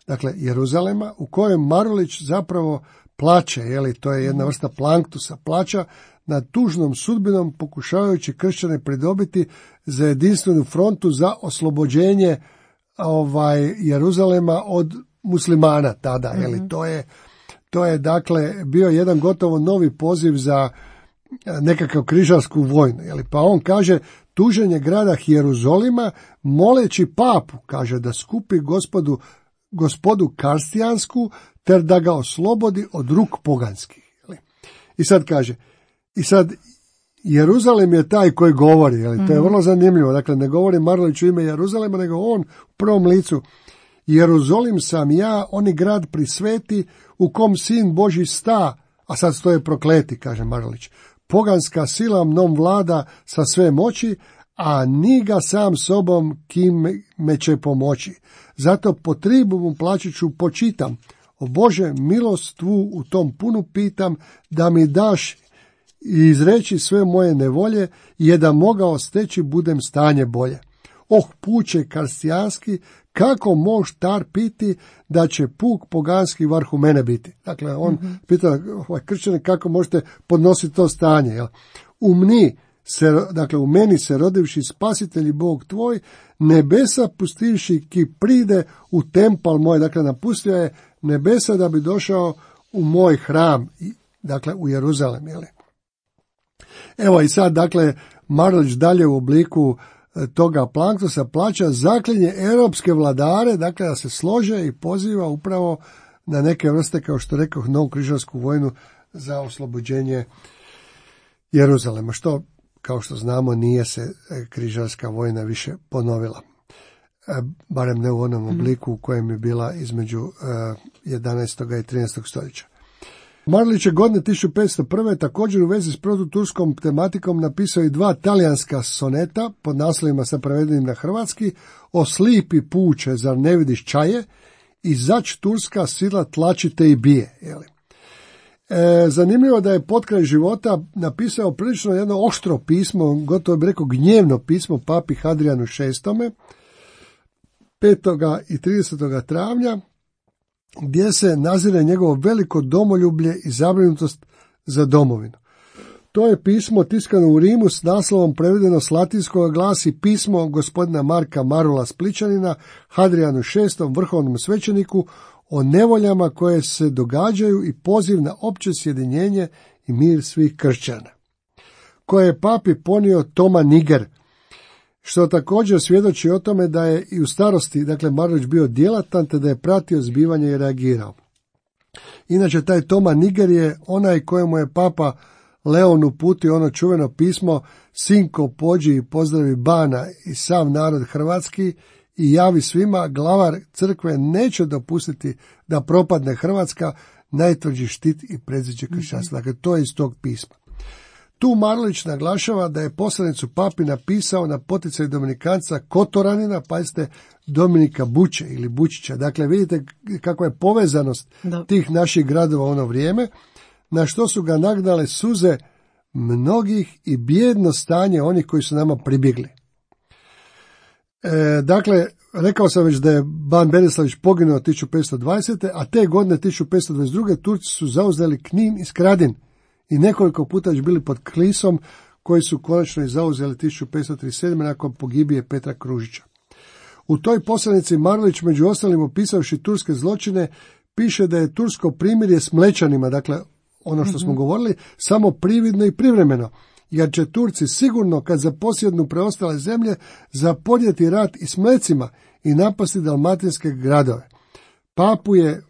Dakle, Jeruzalema, u kojem Marulić zapravo plače, to je jedna vrsta planktusa, plača nad tužnom sudbinom, pokušavajući kršćane pridobiti za jedinstvenu frontu za oslobođenje Jeruzalema od muslimana tada. To je dakle bio jedan gotovo novi poziv za nekakav križarsku vojnu. Pa on kaže, tuženje grada Jeruzalema, moleći papu, kaže, da skupi gospodu karstijansku, ter da ga oslobodi od ruk poganskih. I sad kaže, Jeruzalem je taj koji govori, to je vrlo zanimljivo. Dakle, ne govori Marulić u ime Jeruzalema, nego on u prvom licu. Jeruzalim sam ja, oni grad prisveti, u kom sin Božji sta, a sad stoje prokleti, kaže Marulić. Poganska sila mnom vlada sa sve moći, a ni ga sam sobom kim me će pomoći. Zato po tribumu plaćiću počitam. O Bože, milost tvu u tom punu pitam, da mi daš i izreći sve moje nevolje, je da mogao steći budem stanje bolje. Oh, puče karstijanski, kako mož tar piti da će puk poganski vrhu mene biti. Dakle, on pita kršćane kako možete podnositi to stanje. Jel? U meni se rodivši spasitelj i Bog tvoj, nebesa pustivši ki pride u tempal moj. Dakle, napustio je nebesa da bi došao u moj hram, dakle u Jeruzalem. Jel? Evo i sad, dakle, Marulić dalje u obliku toga Planktosa plaća zaklinje europske vladare, dakle da se slože i poziva upravo na neke vrste, kao što rekao, novu križarsku vojnu za oslobođenje Jeruzalema, što, kao što znamo, nije se križarska vojna više ponovila. Barem ne u onom obliku u kojem je bila između 11. i 13. stoljeća. Marulić je godine 1501. također u vezi s protuturskom tematikom napisao i 2 talijanska soneta pod naslovima sa prevedenim na hrvatski: O slipi puče, zar ne vidiš čaje, i zač turska sila tlačite i bije. Zanimljivo da je potkraj života napisao prilično jedno oštro pismo, gotovo bi rekao gnjevno pismo papi Hadrianu VI. 5. i 30. travnja, gdje se nazire njegovo veliko domoljublje i zabrinutost za domovinu. To je pismo tiskano u Rimu s naslovom prevedeno s latinskog, glasi: pismo gospodina Marka Marula Splićanina Hadrianu VI, vrhovnom svećeniku, o nevoljama koje se događaju i poziv na opće sjedinjenje i mir svih kršćana, koje je papi ponio Toma Niger, što također svjedoči o tome da je i u starosti, dakle, Marulić bio djelatan, te da je pratio zbivanje i reagirao. Inače, taj Toma Niger je onaj kojemu je papa Leon uputio ono čuveno pismo: Sinko, pođi i pozdravi bana i sav narod hrvatski i javi svima, glavar crkve neće dopustiti da propadne Hrvatska, najtvrđi štit i predziđe kršćanstva. Dakle, to je iz tog pisma. Tu Marulić naglašava da je poslanicu papi napisao na poticaj dominikanca Kotoranina, pazite, Dominika Buće ili Bučića. Dakle, vidite kakva je povezanost tih naših gradova u ono vrijeme, na što su ga nagnale suze mnogih i bijedno stanje onih koji su nama pribjegli. Dakle, rekao sam već da je ban Berislavić poginuo 1520. a te godine 1522. Turci su zauzeli Knin i Skradin i nekoliko puta već bili pod Klisom, koji su konačno i zauzeli 1537. nakon pogibije Petra Kružića. U toj poslanici Marulić, među ostalim opisavši turske zločine, piše da je tursko primirje s Mlečanima, dakle ono što smo govorili, samo prividno i privremeno, jer će Turci sigurno, kad zaposjednu preostale zemlje, zapodjeti rat i s Mlecima i napasti dalmatinske gradove. Papu je,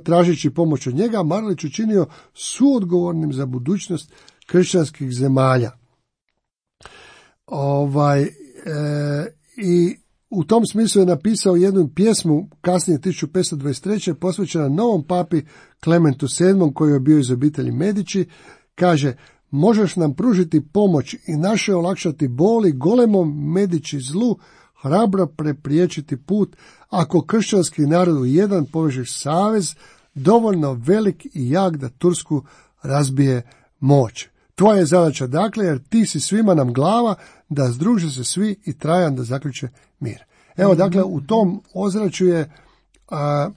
tražeći pomoć od njega, Marulić učinio suodgovornim za budućnost kršćanskih zemalja. I u tom smislu je napisao jednu pjesmu kasnije 1523. posvećena novom papi Klementu VII, koji je bio iz obitelji Medići. Kaže: možeš nam pružiti pomoć i naše olakšati boli, golemom Medići zlu hrabro prepriječiti put, ako kršćanski narod u jedan povežeš savez, dovoljno velik i jak da Tursku razbije moć. Tvoja je zadaća, dakle, jer ti si svima nam glava, da združe se svi i Trajan da zaključe mir. Evo, dakle, u tom ozračju je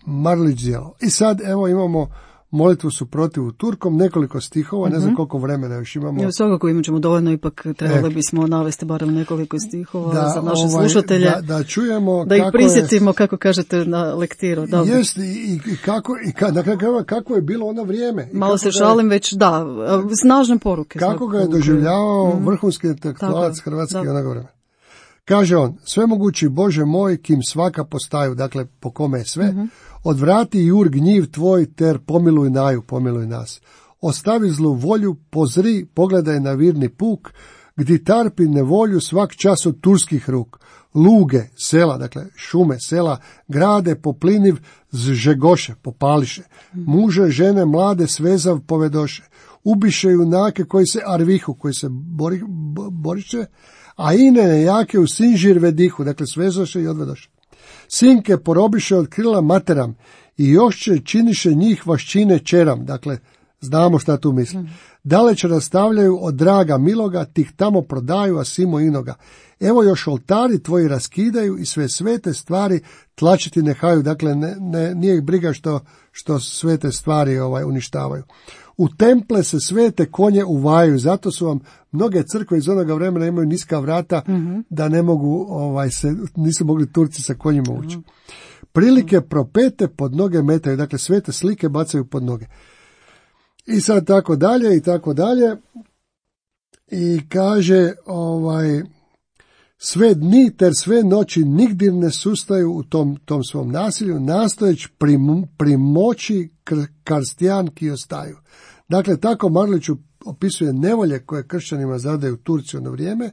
Marulić djelo. I sad, evo, imamo molitvu suprotivu Turkom, nekoliko stihova, ne znam koliko vremena još imamo. Ja, svakako imat ćemo dovoljno, ipak trebali bismo navesti barem nekoliko stihova za naše slušatelje. Da čujemo da ih prisjetimo, kako kažete, na lektiru. Jest, kako je bilo ono vrijeme. Malo se šalim, već da, snažne poruke. Kako ga je doživljavao vrhunski intelektualac hrvatski onog vremena. Kaže on: svemogući Bože moj, kim svaka postaju, dakle po kome je sve, odvrati jur gnjiv tvoj, ter pomiluj naju, pomiluj nas. Ostavi zlu volju, pozri, pogledaj na virni puk, gdje tarpi nevolju svak čas od turskih ruk. Luge, sela, dakle šume, sela, grade popliniv zžegoše, popališe. Muže, žene, mlade svezav povedoše. Ubiše junake koji se arvihu, koji se boriše, a ine nejake u sinžir vedihu, dakle svezoše i odvedoše. Sinke porobiše od krila materam i još će činiše njih vaščine čeram, dakle Znamo šta tu misli. Daleć rastavljaju od draga miloga, tih tamo prodaju, a simo inoga. Evo još oltari tvoji raskidaju i sve svete stvari tlačiti nehaju. Dakle, nije ih briga što svete stvari uništavaju. U temple se svete konje uvajaju, zato su vam mnoge crkve iz onoga vremena imaju niska vrata, da ne mogu, nisu mogli Turci sa konjima ući. Prilike propete pod noge metaju, dakle svete slike bacaju pod noge. I sad tako dalje i tako dalje. I kaže sve dni ter sve noći nigdje ne sustaju u tom svom nasilju, nastojeć primoći karstijanki ostaju. Dakle, tako Marulić opisuje nevolje koje kršćanima zadaju Turci ono vrijeme,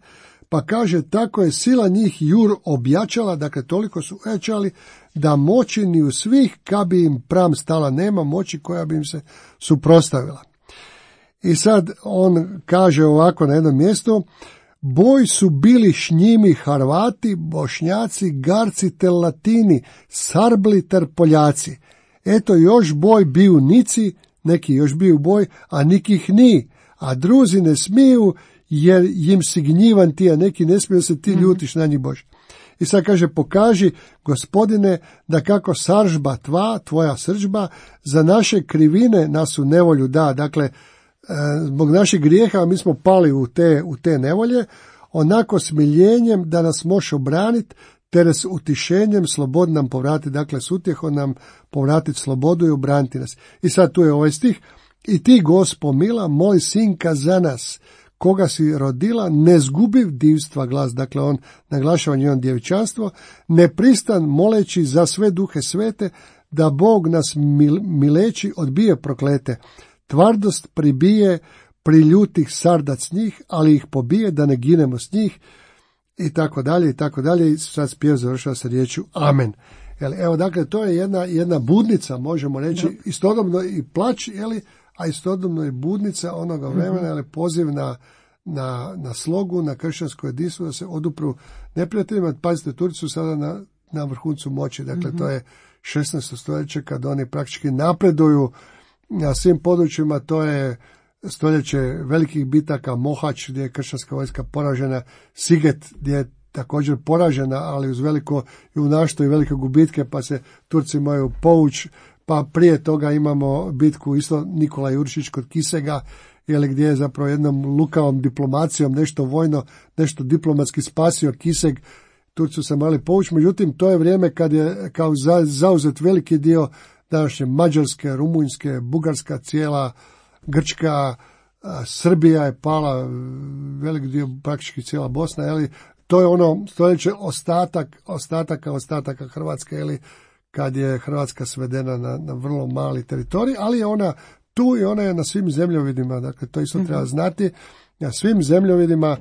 pa kaže tako je sila njih jur objačala, dakle toliko su ojačali da moći ni u svih kad bi im pram stala, nema moći koja bi im se suprotstavila. I sad on kaže ovako na jednom mjestu, boj su bili šnjimi Harvati, Bošnjaci, Garci te Latini, Sarbli ter Poljaci. Eto još boj biju nici, neki još biju boj, a nikih ni, a druzi ne smiju jer im si gnjivan ti, a neki ne smiju se ti ljutiš na njih Bož. I sad kaže, pokaži, Gospodine, da kako saržba tvoja srdžba, za naše krivine nas u nevolju da. Dakle, zbog naših grijeha mi smo pali u te nevolje, onako smiljenjem da nas može obraniti, te s utišenjem slobod nam povratiti, dakle s utjehom nam povratiti slobodu i obraniti nas. I sad tu je ovaj stih, i ti, Gospo mila, moj sinka za nas, koga si rodila, ne zgubiv divstva glas, dakle on naglašava njeno djevičanstvo, ne pristan moleći za sve duhe svete, da Bog nas mileći odbije proklete, tvardost pribije priljutih sardac njih, ali ih pobije da ne ginemo s njih, i tako dalje, i tako dalje, i sad spjev završava sa riječju Amen. Evo, dakle, to je jedna budnica, možemo reći, istodobno i plać, a istodobno i budnica onoga vremena, poziv na slogu, na kršćansko jedinstvo, da se odupru neprijateljima. Pazite, Turci su sada na vrhuncu moći, dakle, to je 16. stoljeće kad oni praktički napreduju na svim područjima, to je stoljeće velikih bitaka, Mohač gdje je kršćanska vojska poražena, Siget gdje je također poražena, ali uz veliko junaštvo i velike gubitke, pa se Turci moraju povući, pa prije toga imamo bitku isto Nikola Juršić kod Kisega, gdje je zapravo jednom lukavom diplomacijom nešto vojno, nešto diplomatski spasio Kiseg, Turci su se morali povući, međutim to je vrijeme kad je kao zauzet veliki dio današnje Mađarske, Rumunjske, Bugarska, cijela Grčka, Srbija je pala, velik dio, praktički cijela Bosna, to je ono stoljeće ostataka Hrvatske, kad je Hrvatska svedena na vrlo mali teritorij, ali je ona tu i ona je na svim zemljovidima, dakle to isto treba znati, na svim zemljovidima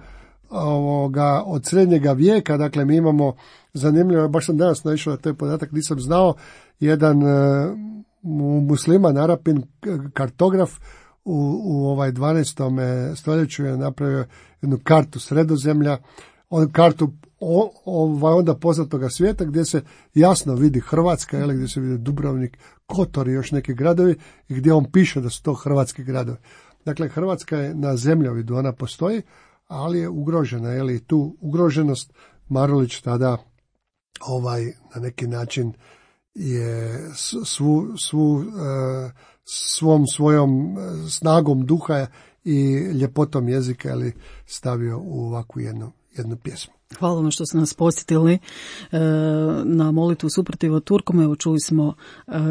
od srednjega vijeka, dakle mi imamo zanimljivo, baš sam danas naišao na taj podatak, nisam znao, jedan musliman, Arapin, kartograf u 12. stoljeću je napravio jednu kartu Sredozemlja, kartu onda poznatoga svijeta gdje se jasno vidi Hrvatska, gdje se vidi Dubrovnik, Kotor i još neki gradovi i gdje on piše da su to hrvatski gradovi. Dakle, Hrvatska je na zemljovidu, ona postoji, ali je ugrožena, i tu ugroženost Marulić tada na neki način je svojom snagom duha i ljepotom jezika stavio u ovakvu jednu pjesmu. Hvala vam što ste nas posjetili na molitvu suprotiva Turkom. Evo čuli smo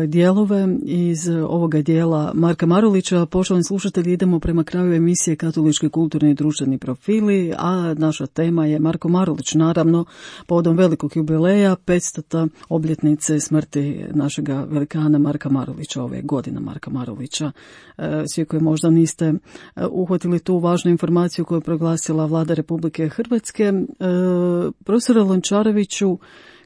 dijelove iz ovoga dijela Marka Marulića. Poštovani slušatelji, idemo prema kraju emisije Katolički kulturni i društveni profili, a naša tema je Marko Marulić, naravno povodom velikog jubileja, 500. obljetnice smrti našega velikana Marka Marulića, ove godine Marka Marulića. Svi koji možda niste uhvatili tu važnu informaciju koju je proglasila Vlada Republike Hrvatske, profesore Lončareviću,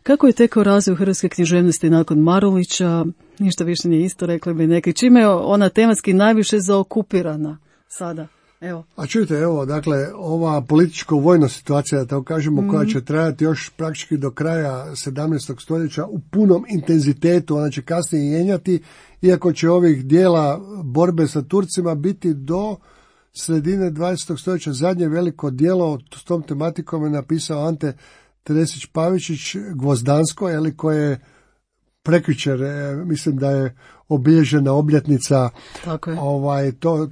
kako je tekao razvoj hrvatske književnosti nakon Marulića? Ništa više nije isto, rekli bi neki. Čime je ona tematski najviše zaokupirana sada? Evo. A čujte, evo, dakle, ova političko-vojna situacija, da tako kažemo, koja će trajati još praktički do kraja 17. stoljeća u punom intenzitetu, ona će kasnije jenjati, iako će ovih dijela borbe sa Turcima biti do sredine 20. stoljeća. Zadnje veliko djelo s tom tematikom je napisao Ante Teresić Pavičić, Gvozdansko, koje je prekjučer, mislim da je obilježena obljetnica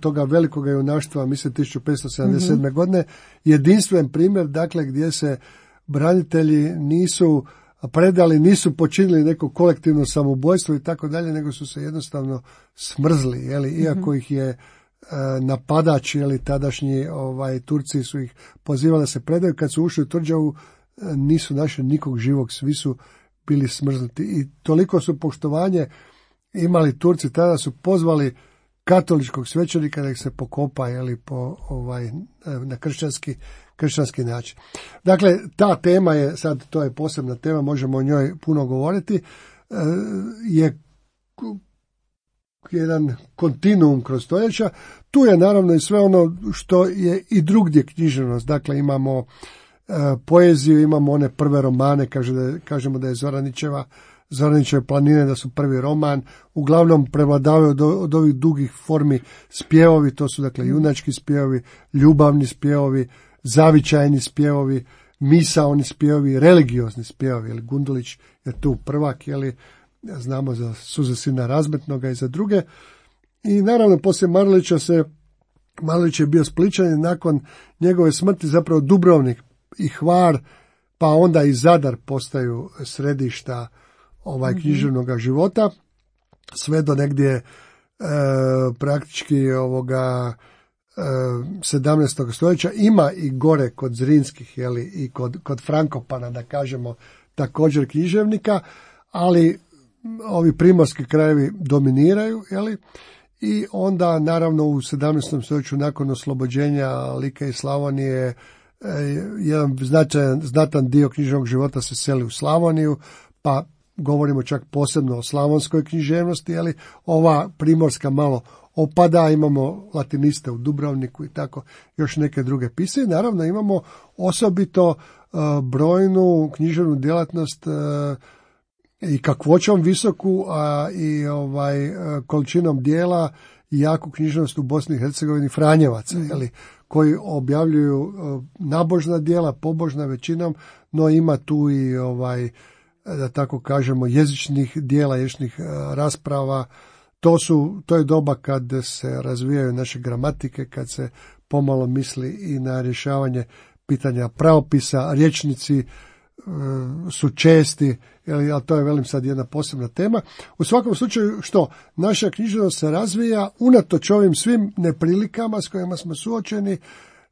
toga velikog junaštva, mislim 1577. godine. Jedinstven primjer, dakle, gdje se branitelji nisu predali, nisu počinili neko kolektivno samoubojstvo i tako dalje, nego su se jednostavno smrzli, iako ih je napadač, tadašnji Turci su ih pozivali da se predaju. Kad su ušli u tvrđavu, nisu našli nikog živog, svi su bili smrznuti. I toliko su poštovanje imali Turci, tada su pozvali katoličkog svećenika da ih se pokopa na kršćanski način. Dakle, ta tema je, sad to je posebna tema, možemo o njoj puno govoriti, je jedan kontinuum kroz stoljeća. Tu je naravno i sve ono što je i drugdje književnost. Dakle, imamo poeziju, imamo one prve romane, kažemo da je Zoranićeve planine, da su prvi roman, uglavnom prevladavaju od ovih dugih formi spjevovi, to su dakle junački spjevovi, ljubavni spjevovi, zavičajni spjevovi, misaoni spjevovi, religiozni spjevovi, Gundulić je tu prvak, znamo za Suze sina razmetnoga i za druge. I naravno poslije Marulić je bio Splićanin, nakon njegove smrti zapravo Dubrovnik i Hvar, pa onda i Zadar postaju središta književnog života, sve do negdje praktički 17. stoljeća. Ima i gore kod Zrinskih, i kod Frankopana, da kažemo, također književnika, ali ovi primorski krajevi dominiraju, i onda naravno u 17. stoljeću nakon oslobođenja Like i Slavonije jedan znatan dio književnog života se seli u Slavoniju, pa govorimo čak posebno o slavonskoj književnosti, ova primorska malo opada, imamo latiniste u Dubrovniku i tako još neke druge pisce. Naravno imamo osobito brojnu književnu djelatnost i kakvoćom visoku, a i količinom dijela i jaku književnost u Bosni i Hercegovini Franjevaca, koji objavljuju nabožna djela, pobožna većinom, no ima tu i da tako kažemo jezičnih djela, jezičnih rasprava. To je doba kad se razvijaju naše gramatike, kad se pomalo misli i na rješavanje pitanja pravopisa, rječnici su česti, ali to je, velim, sad jedna posebna tema. U svakom slučaju, naša književnost se razvija unatoč ovim svim neprilikama s kojima smo suočeni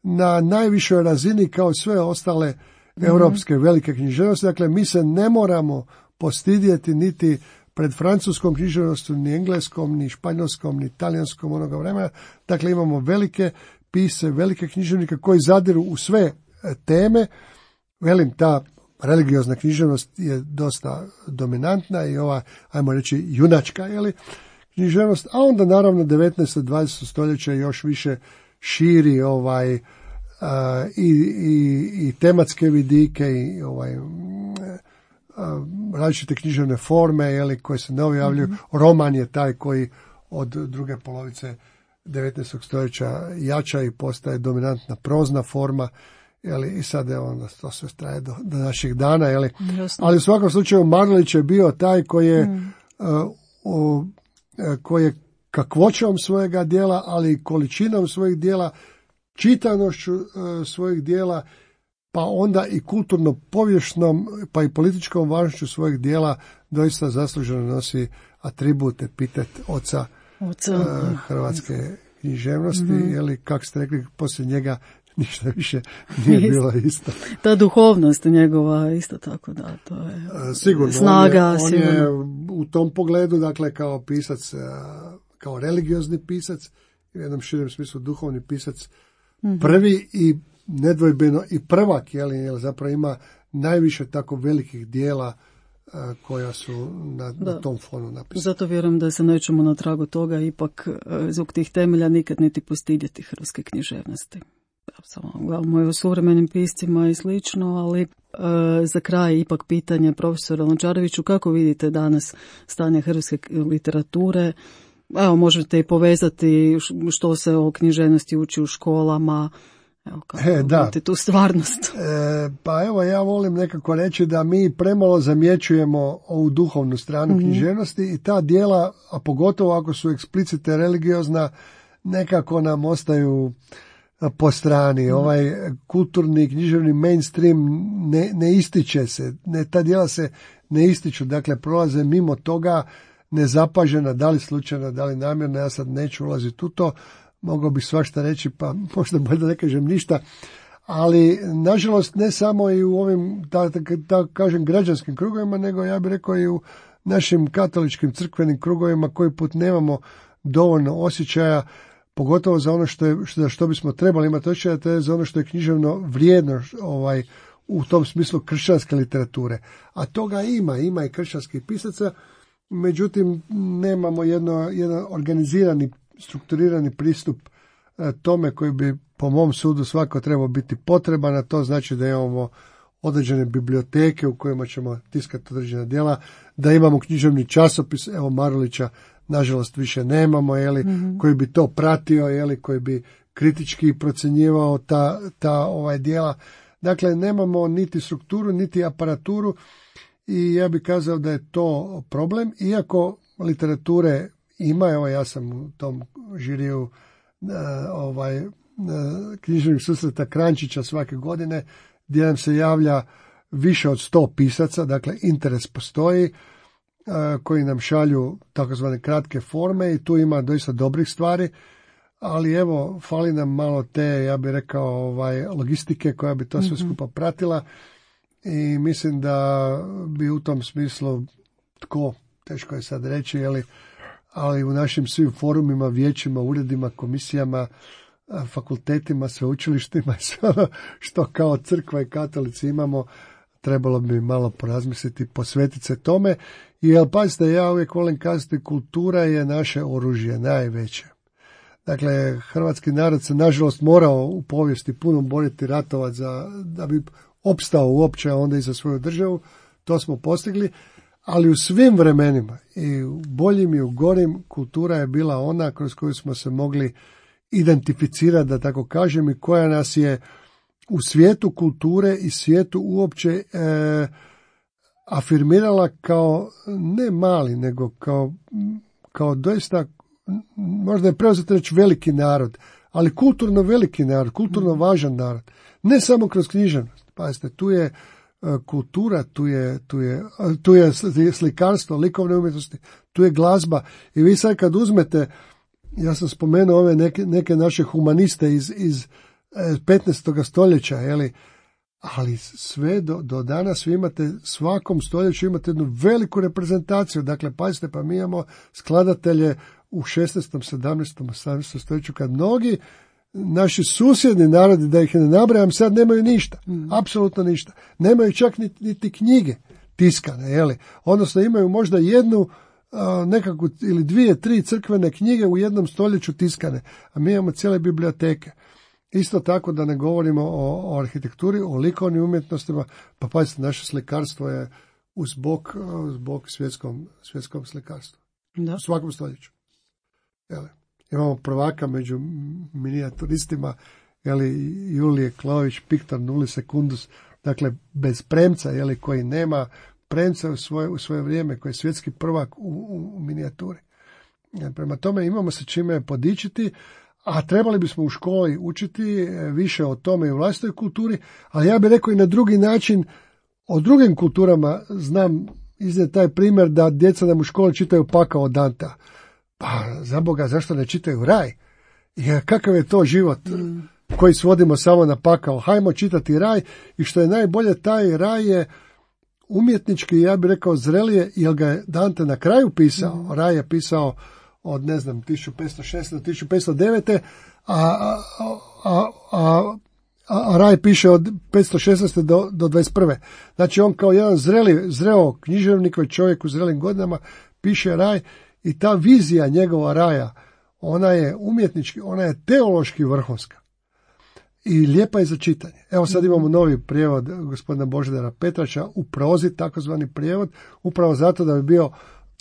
na najvišoj razini kao sve ostale europske velike književnosti. Dakle, mi se ne moramo postidjeti niti pred francuskom književnostom, ni engleskom, ni španjolskom, ni talijanskom onoga vremena. Dakle, imamo velike pisce, velike književnike koji zadiru u sve teme. Velim, ta religiozna književnost je dosta dominantna i ova, ajmo reći, junačka, književnost, a onda naravno 19. 20. stoljeće još više širi i tematske vidike i različite književne forme, koje se ne objavljuju. Roman je taj koji od druge polovice 19. stoljeća jača i postaje dominantna prozna forma, i sad onda to sve traje do naših dana, ali u svakom slučaju Marulić je bio taj koji je kakvoćom svojega djela, ali i količinom svojih djela, čitanošću svojih djela, pa onda i kulturno-povijesnom, pa i političkom važnošću svojih djela doista zasluženo nosi atribut, epitet oca hrvatske književnosti, kako ste rekli, poslije njega ništa više nije bilo isto. Ta duhovnost njegova isto tako, da, to je sigurno, snaga. On je u tom pogledu, dakle, kao pisac, kao religiozni pisac, u jednom širem smislu duhovni pisac, prvi i nedvojbeno i prvak, jer zapravo ima najviše tako velikih dijela koja su na tom fonu napisana. Zato vjerujem da se nećemo na tragu toga ipak zbog tih temelja nikad niti postidjeti hrvatske književnosti. Samo gledamo i o suvremenim piscima i slično, ali za kraj ipak pitanje profesora Lončareviću, kako vidite danas stanje hrvatske literature? Evo, možete i povezati što se o književnosti uči u školama. Evo, kako vidite tu stvarnost? Pa evo, ja volim nekako reći da mi premalo zamjećujemo ovu duhovnu stranu književnosti i ta dijela, a pogotovo ako su eksplicite religiozna, nekako nam ostaju po strani. Ovaj kulturni književni mainstream ne ističe se, ta djela se ne ističu, dakle prolaze mimo toga nezapažena, da li slučajno, da li namjerno, ja sad neću ulaziti u to, mogao bih svašta reći, pa možda bolje da ne kažem ništa, ali nažalost ne samo i u ovim, da kažem, građanskim krugovima, nego ja bih rekao i u našim katoličkim crkvenim krugovima koji put nemamo dovoljno osjećaja, pogotovo za ono što bismo trebali imati osjećaja, to je za ono što je književno vrijedno u tom smislu kršćanske literature. A toga ima i kršćanskih pisaca, međutim nemamo jedan organizirani, strukturirani pristup tome koji bi po mom sudu svako trebao biti potreban, a to znači da imamo određene biblioteke u kojima ćemo tiskati određena djela, da imamo književni časopis, evo Marulića nažalost više nemamo, koji bi to pratio, koji bi kritički procjenjivao ta djela. Dakle, nemamo niti strukturu, niti aparaturu i ja bih kazao da je to problem, iako literature ima, evo ja sam u tom žiriju književnih susreta Krančića svake godine, gdje nam se javlja više od 100 pisaca, dakle interes postoji, koji nam šalju takozvane kratke forme i tu ima doista dobrih stvari, ali evo, fali nam malo te, ja bih rekao, logistike koja bi to sve skupa pratila i mislim da bi u tom smislu, teško je sad reći, ali u našim svim forumima, vijećima, uredima, komisijama, fakultetima, sveučilištima, sve što kao crkva i katolici imamo, trebalo bi malo porazmisliti, posvetiti se tome, jer pazite, ja uvijek volim kazati, kultura je naše oružje, najveće. Dakle, hrvatski narod se nažalost morao u povijesti puno boriti, ratovati da bi opstao uopće, a onda i za svoju državu, to smo postigli, ali u svim vremenima, i u boljim i u gorim, kultura je bila ona kroz koju smo se mogli identificirati, da tako kažem, i koja nas je u svijetu kulture i svijetu uopće afirmirala kao ne mali, nego kao doista, možda je preuzeti reći veliki narod, ali kulturno veliki narod, kulturno važan narod. Ne samo kroz književnost. Pazite, tu je kultura, tu je slikarstvo, likovne umjetnosti, tu je glazba. I vi sad kad uzmete, ja sam spomenuo ove neke naše humaniste iz 15. stoljeća, ali sve do danas vi imate, svakom stoljeću imate jednu veliku reprezentaciju. Dakle, pazite, pa mi imamo skladatelje u 16., 17., 18. stoljeću, kad mnogi naši susjedni narodi, da ih ne nabrajam, sad nemaju ništa, apsolutno ništa. Nemaju čak niti knjige tiskane, odnosno imaju možda jednu nekakvu ili 2, 3 crkvene knjige u jednom stoljeću tiskane, a mi imamo cijele biblioteke. Isto tako da ne govorimo o arhitekturi, o likovnim umjetnostima, pa pazite, naše slikarstvo je uz bok svjetskom slikarstvu. Da. U svakom stoljeću. Imamo prvaka među minijaturistima, Julije Klović, Piktor Nuli Secundus, dakle bez premca, koji nema premca u svoje vrijeme, koji je svjetski prvak u minijaturi. Prema tome imamo se čime podičiti, a trebali bismo u školi učiti više o tome i u vlastitoj kulturi, ali ja bih rekao i na drugi način, o drugim kulturama znam iznijeti taj primjer da djeca nam u školi čitaju Pakao od Dantea. Pa, za Boga, zašto ne čitaju Raj? Jer kakav je to život koji svodimo samo na pakao? Hajmo čitati Raj i što je najbolje, taj Raj je umjetnički, ja bih rekao, zrelije, jer ga je Dante na kraju pisao. Raj je pisao od, 1506. do 1509. A a Raj piše od 516. do 21. Znači on kao jedan zreo književnik, čovjek u zrelim godinama piše Raj i ta vizija njegova Raja, ona je umjetnički, ona je teološki vrhunska i lijepa je za čitanje. Evo sad imamo novi prijevod gospodina Božidara Petrača u prozi, takozvani prijevod, upravo zato da bi bio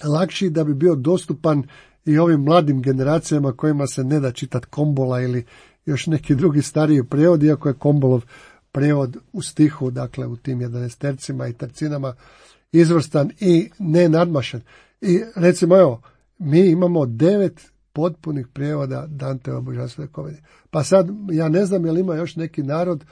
lakši, da bi bio dostupan i ovim mladim generacijama kojima se ne da čitati Kombola ili još neki drugi stariji prijevod, iako je Kombolov prijevod u stihu, dakle u tim 11 i tercinama izvrstan i nenadmašen. I recimo evo, mi imamo 9 potpunih prijevoda Danteova Božanstvene komedije. Pa sad, ja ne znam je li ima još neki narod,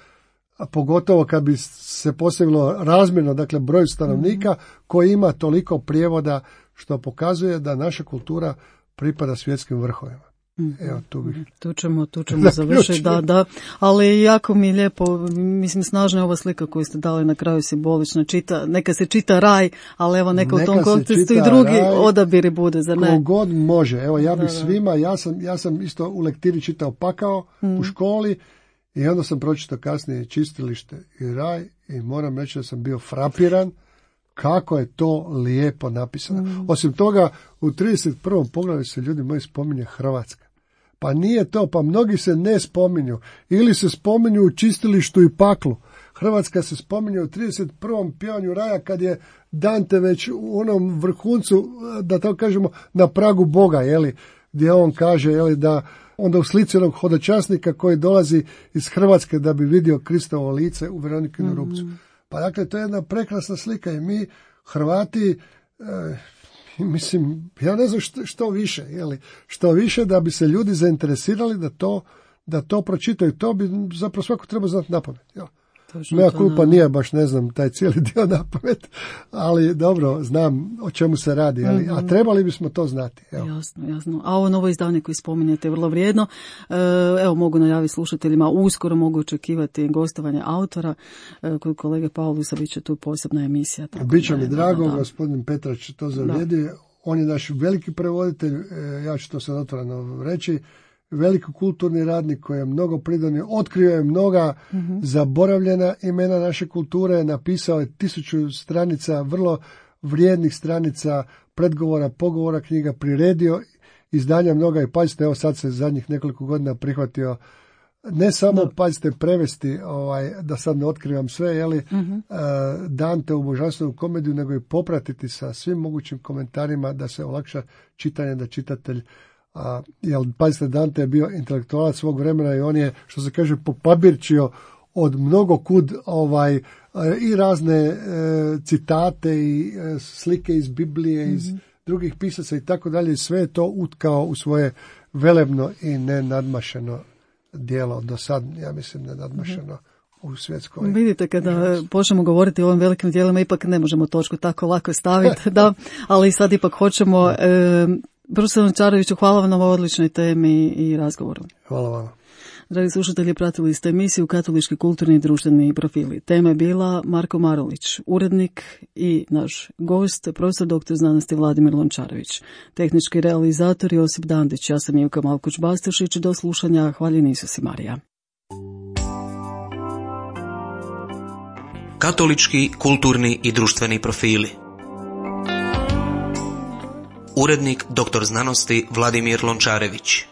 a pogotovo kad bi se posebno razmjerno, dakle broj stanovnika, koji ima toliko prijevoda, što pokazuje da naša kultura pripada svjetskim vrhovima. Evo, tu ćemo završiti, da, ali jako mi je lijepo, mislim, snažna je ova slika koju ste dali na kraju, simbolično, neka se čita Raj, ali evo neka u tom kontekstu i drugi Raj, odabiri bude, zar ne? Kogod može, evo ja bih svima, ja sam isto u lektiri čitao Pakao u školi i onda sam pročitao kasnije Čistilište i Raj i moram reći da sam bio frapiran kako je to lijepo napisano. Osim toga, u 31. poglavlju se, ljudi moji, spominje Hrvatska. Pa nije to, pa mnogi se ne spominju. Ili se spominju u Čistilištu i Paklu. Hrvatska se spominje u 31. pjevanju Raja kad je Dante već u onom vrhuncu, da tako kažemo, na pragu Boga, jeli, gdje on kaže, jeli, da onda u slici onog hodočasnika koji dolazi iz Hrvatske da bi vidio Kristovo lice u Veronikinu rupcu. Pa dakle, to je jedna prekrasna slika i mi, Hrvati, mislim, ja ne znam što više, što više da bi se ljudi zainteresirali da to pročitaju. To bi zapravo svako treba znati napamet. Moja kulpa nije baš, ne znam, taj cijeli dio napamet, ali dobro, znam o čemu se radi, a trebali bismo to znati. Evo. Jasno. A ovo novo izdanje koje spominjete je vrlo vrijedno. Evo, mogu najaviti slušateljima, uskoro mogu očekivati gostovanje autora. Kod kolege Paulusa bit će tu posebna emisija. Biće mi drago, gospodin Petrač to zavrijedi. On je naš veliki prevoditelj, ja ću to sad otvoreno reći. Veliki kulturni radnik koji je mnogo pridonio, otkrio je mnoga zaboravljena imena naše kulture, napisao je 1000 stranica, vrlo vrijednih stranica, predgovora, pogovora, knjiga, priredio izdanja mnoga i pazite, evo sad se zadnjih nekoliko godina prihvatio ne samo, pazite, prevesti, da sad ne otkrivam sve, Dante u Božanstvenu komediju, nego i popratiti sa svim mogućim komentarima da se olakša čitanje, da čitatelj jer pazite, Dante je bio intelektualac svog vremena i on je, što se kaže, popabirčio od mnogo kud i razne citate i slike iz Biblije, iz drugih pisaca i tako dalje, sve je to utkao u svoje velebno i nenadmašeno djelo, do sad, ja mislim, nenadmašeno u svjetskoj. Vidite, kada počnemo govoriti o ovim velikim djelima, ipak ne možemo točku tako lako staviti, da, ali sad ipak hoćemo. Profesor Lončareviću, hvala vam na ovoj odličnoj temi i razgovoru. Hvala vam. Dragi slušatelji, pratili ste emisiju Katolički kulturni i društveni profili. Tema je bila Marko Marulić, urednik i naš gost, profesor doktor znanosti Vladimir Lončarević. Tehnički realizator Josip Dandić, ja sam Ivka Malkuć-Bastašić, do slušanja, hvaljeni Isus i Marija. Katolički kulturni i društveni profili. Urednik doktor znanosti Vladimir Lončarević.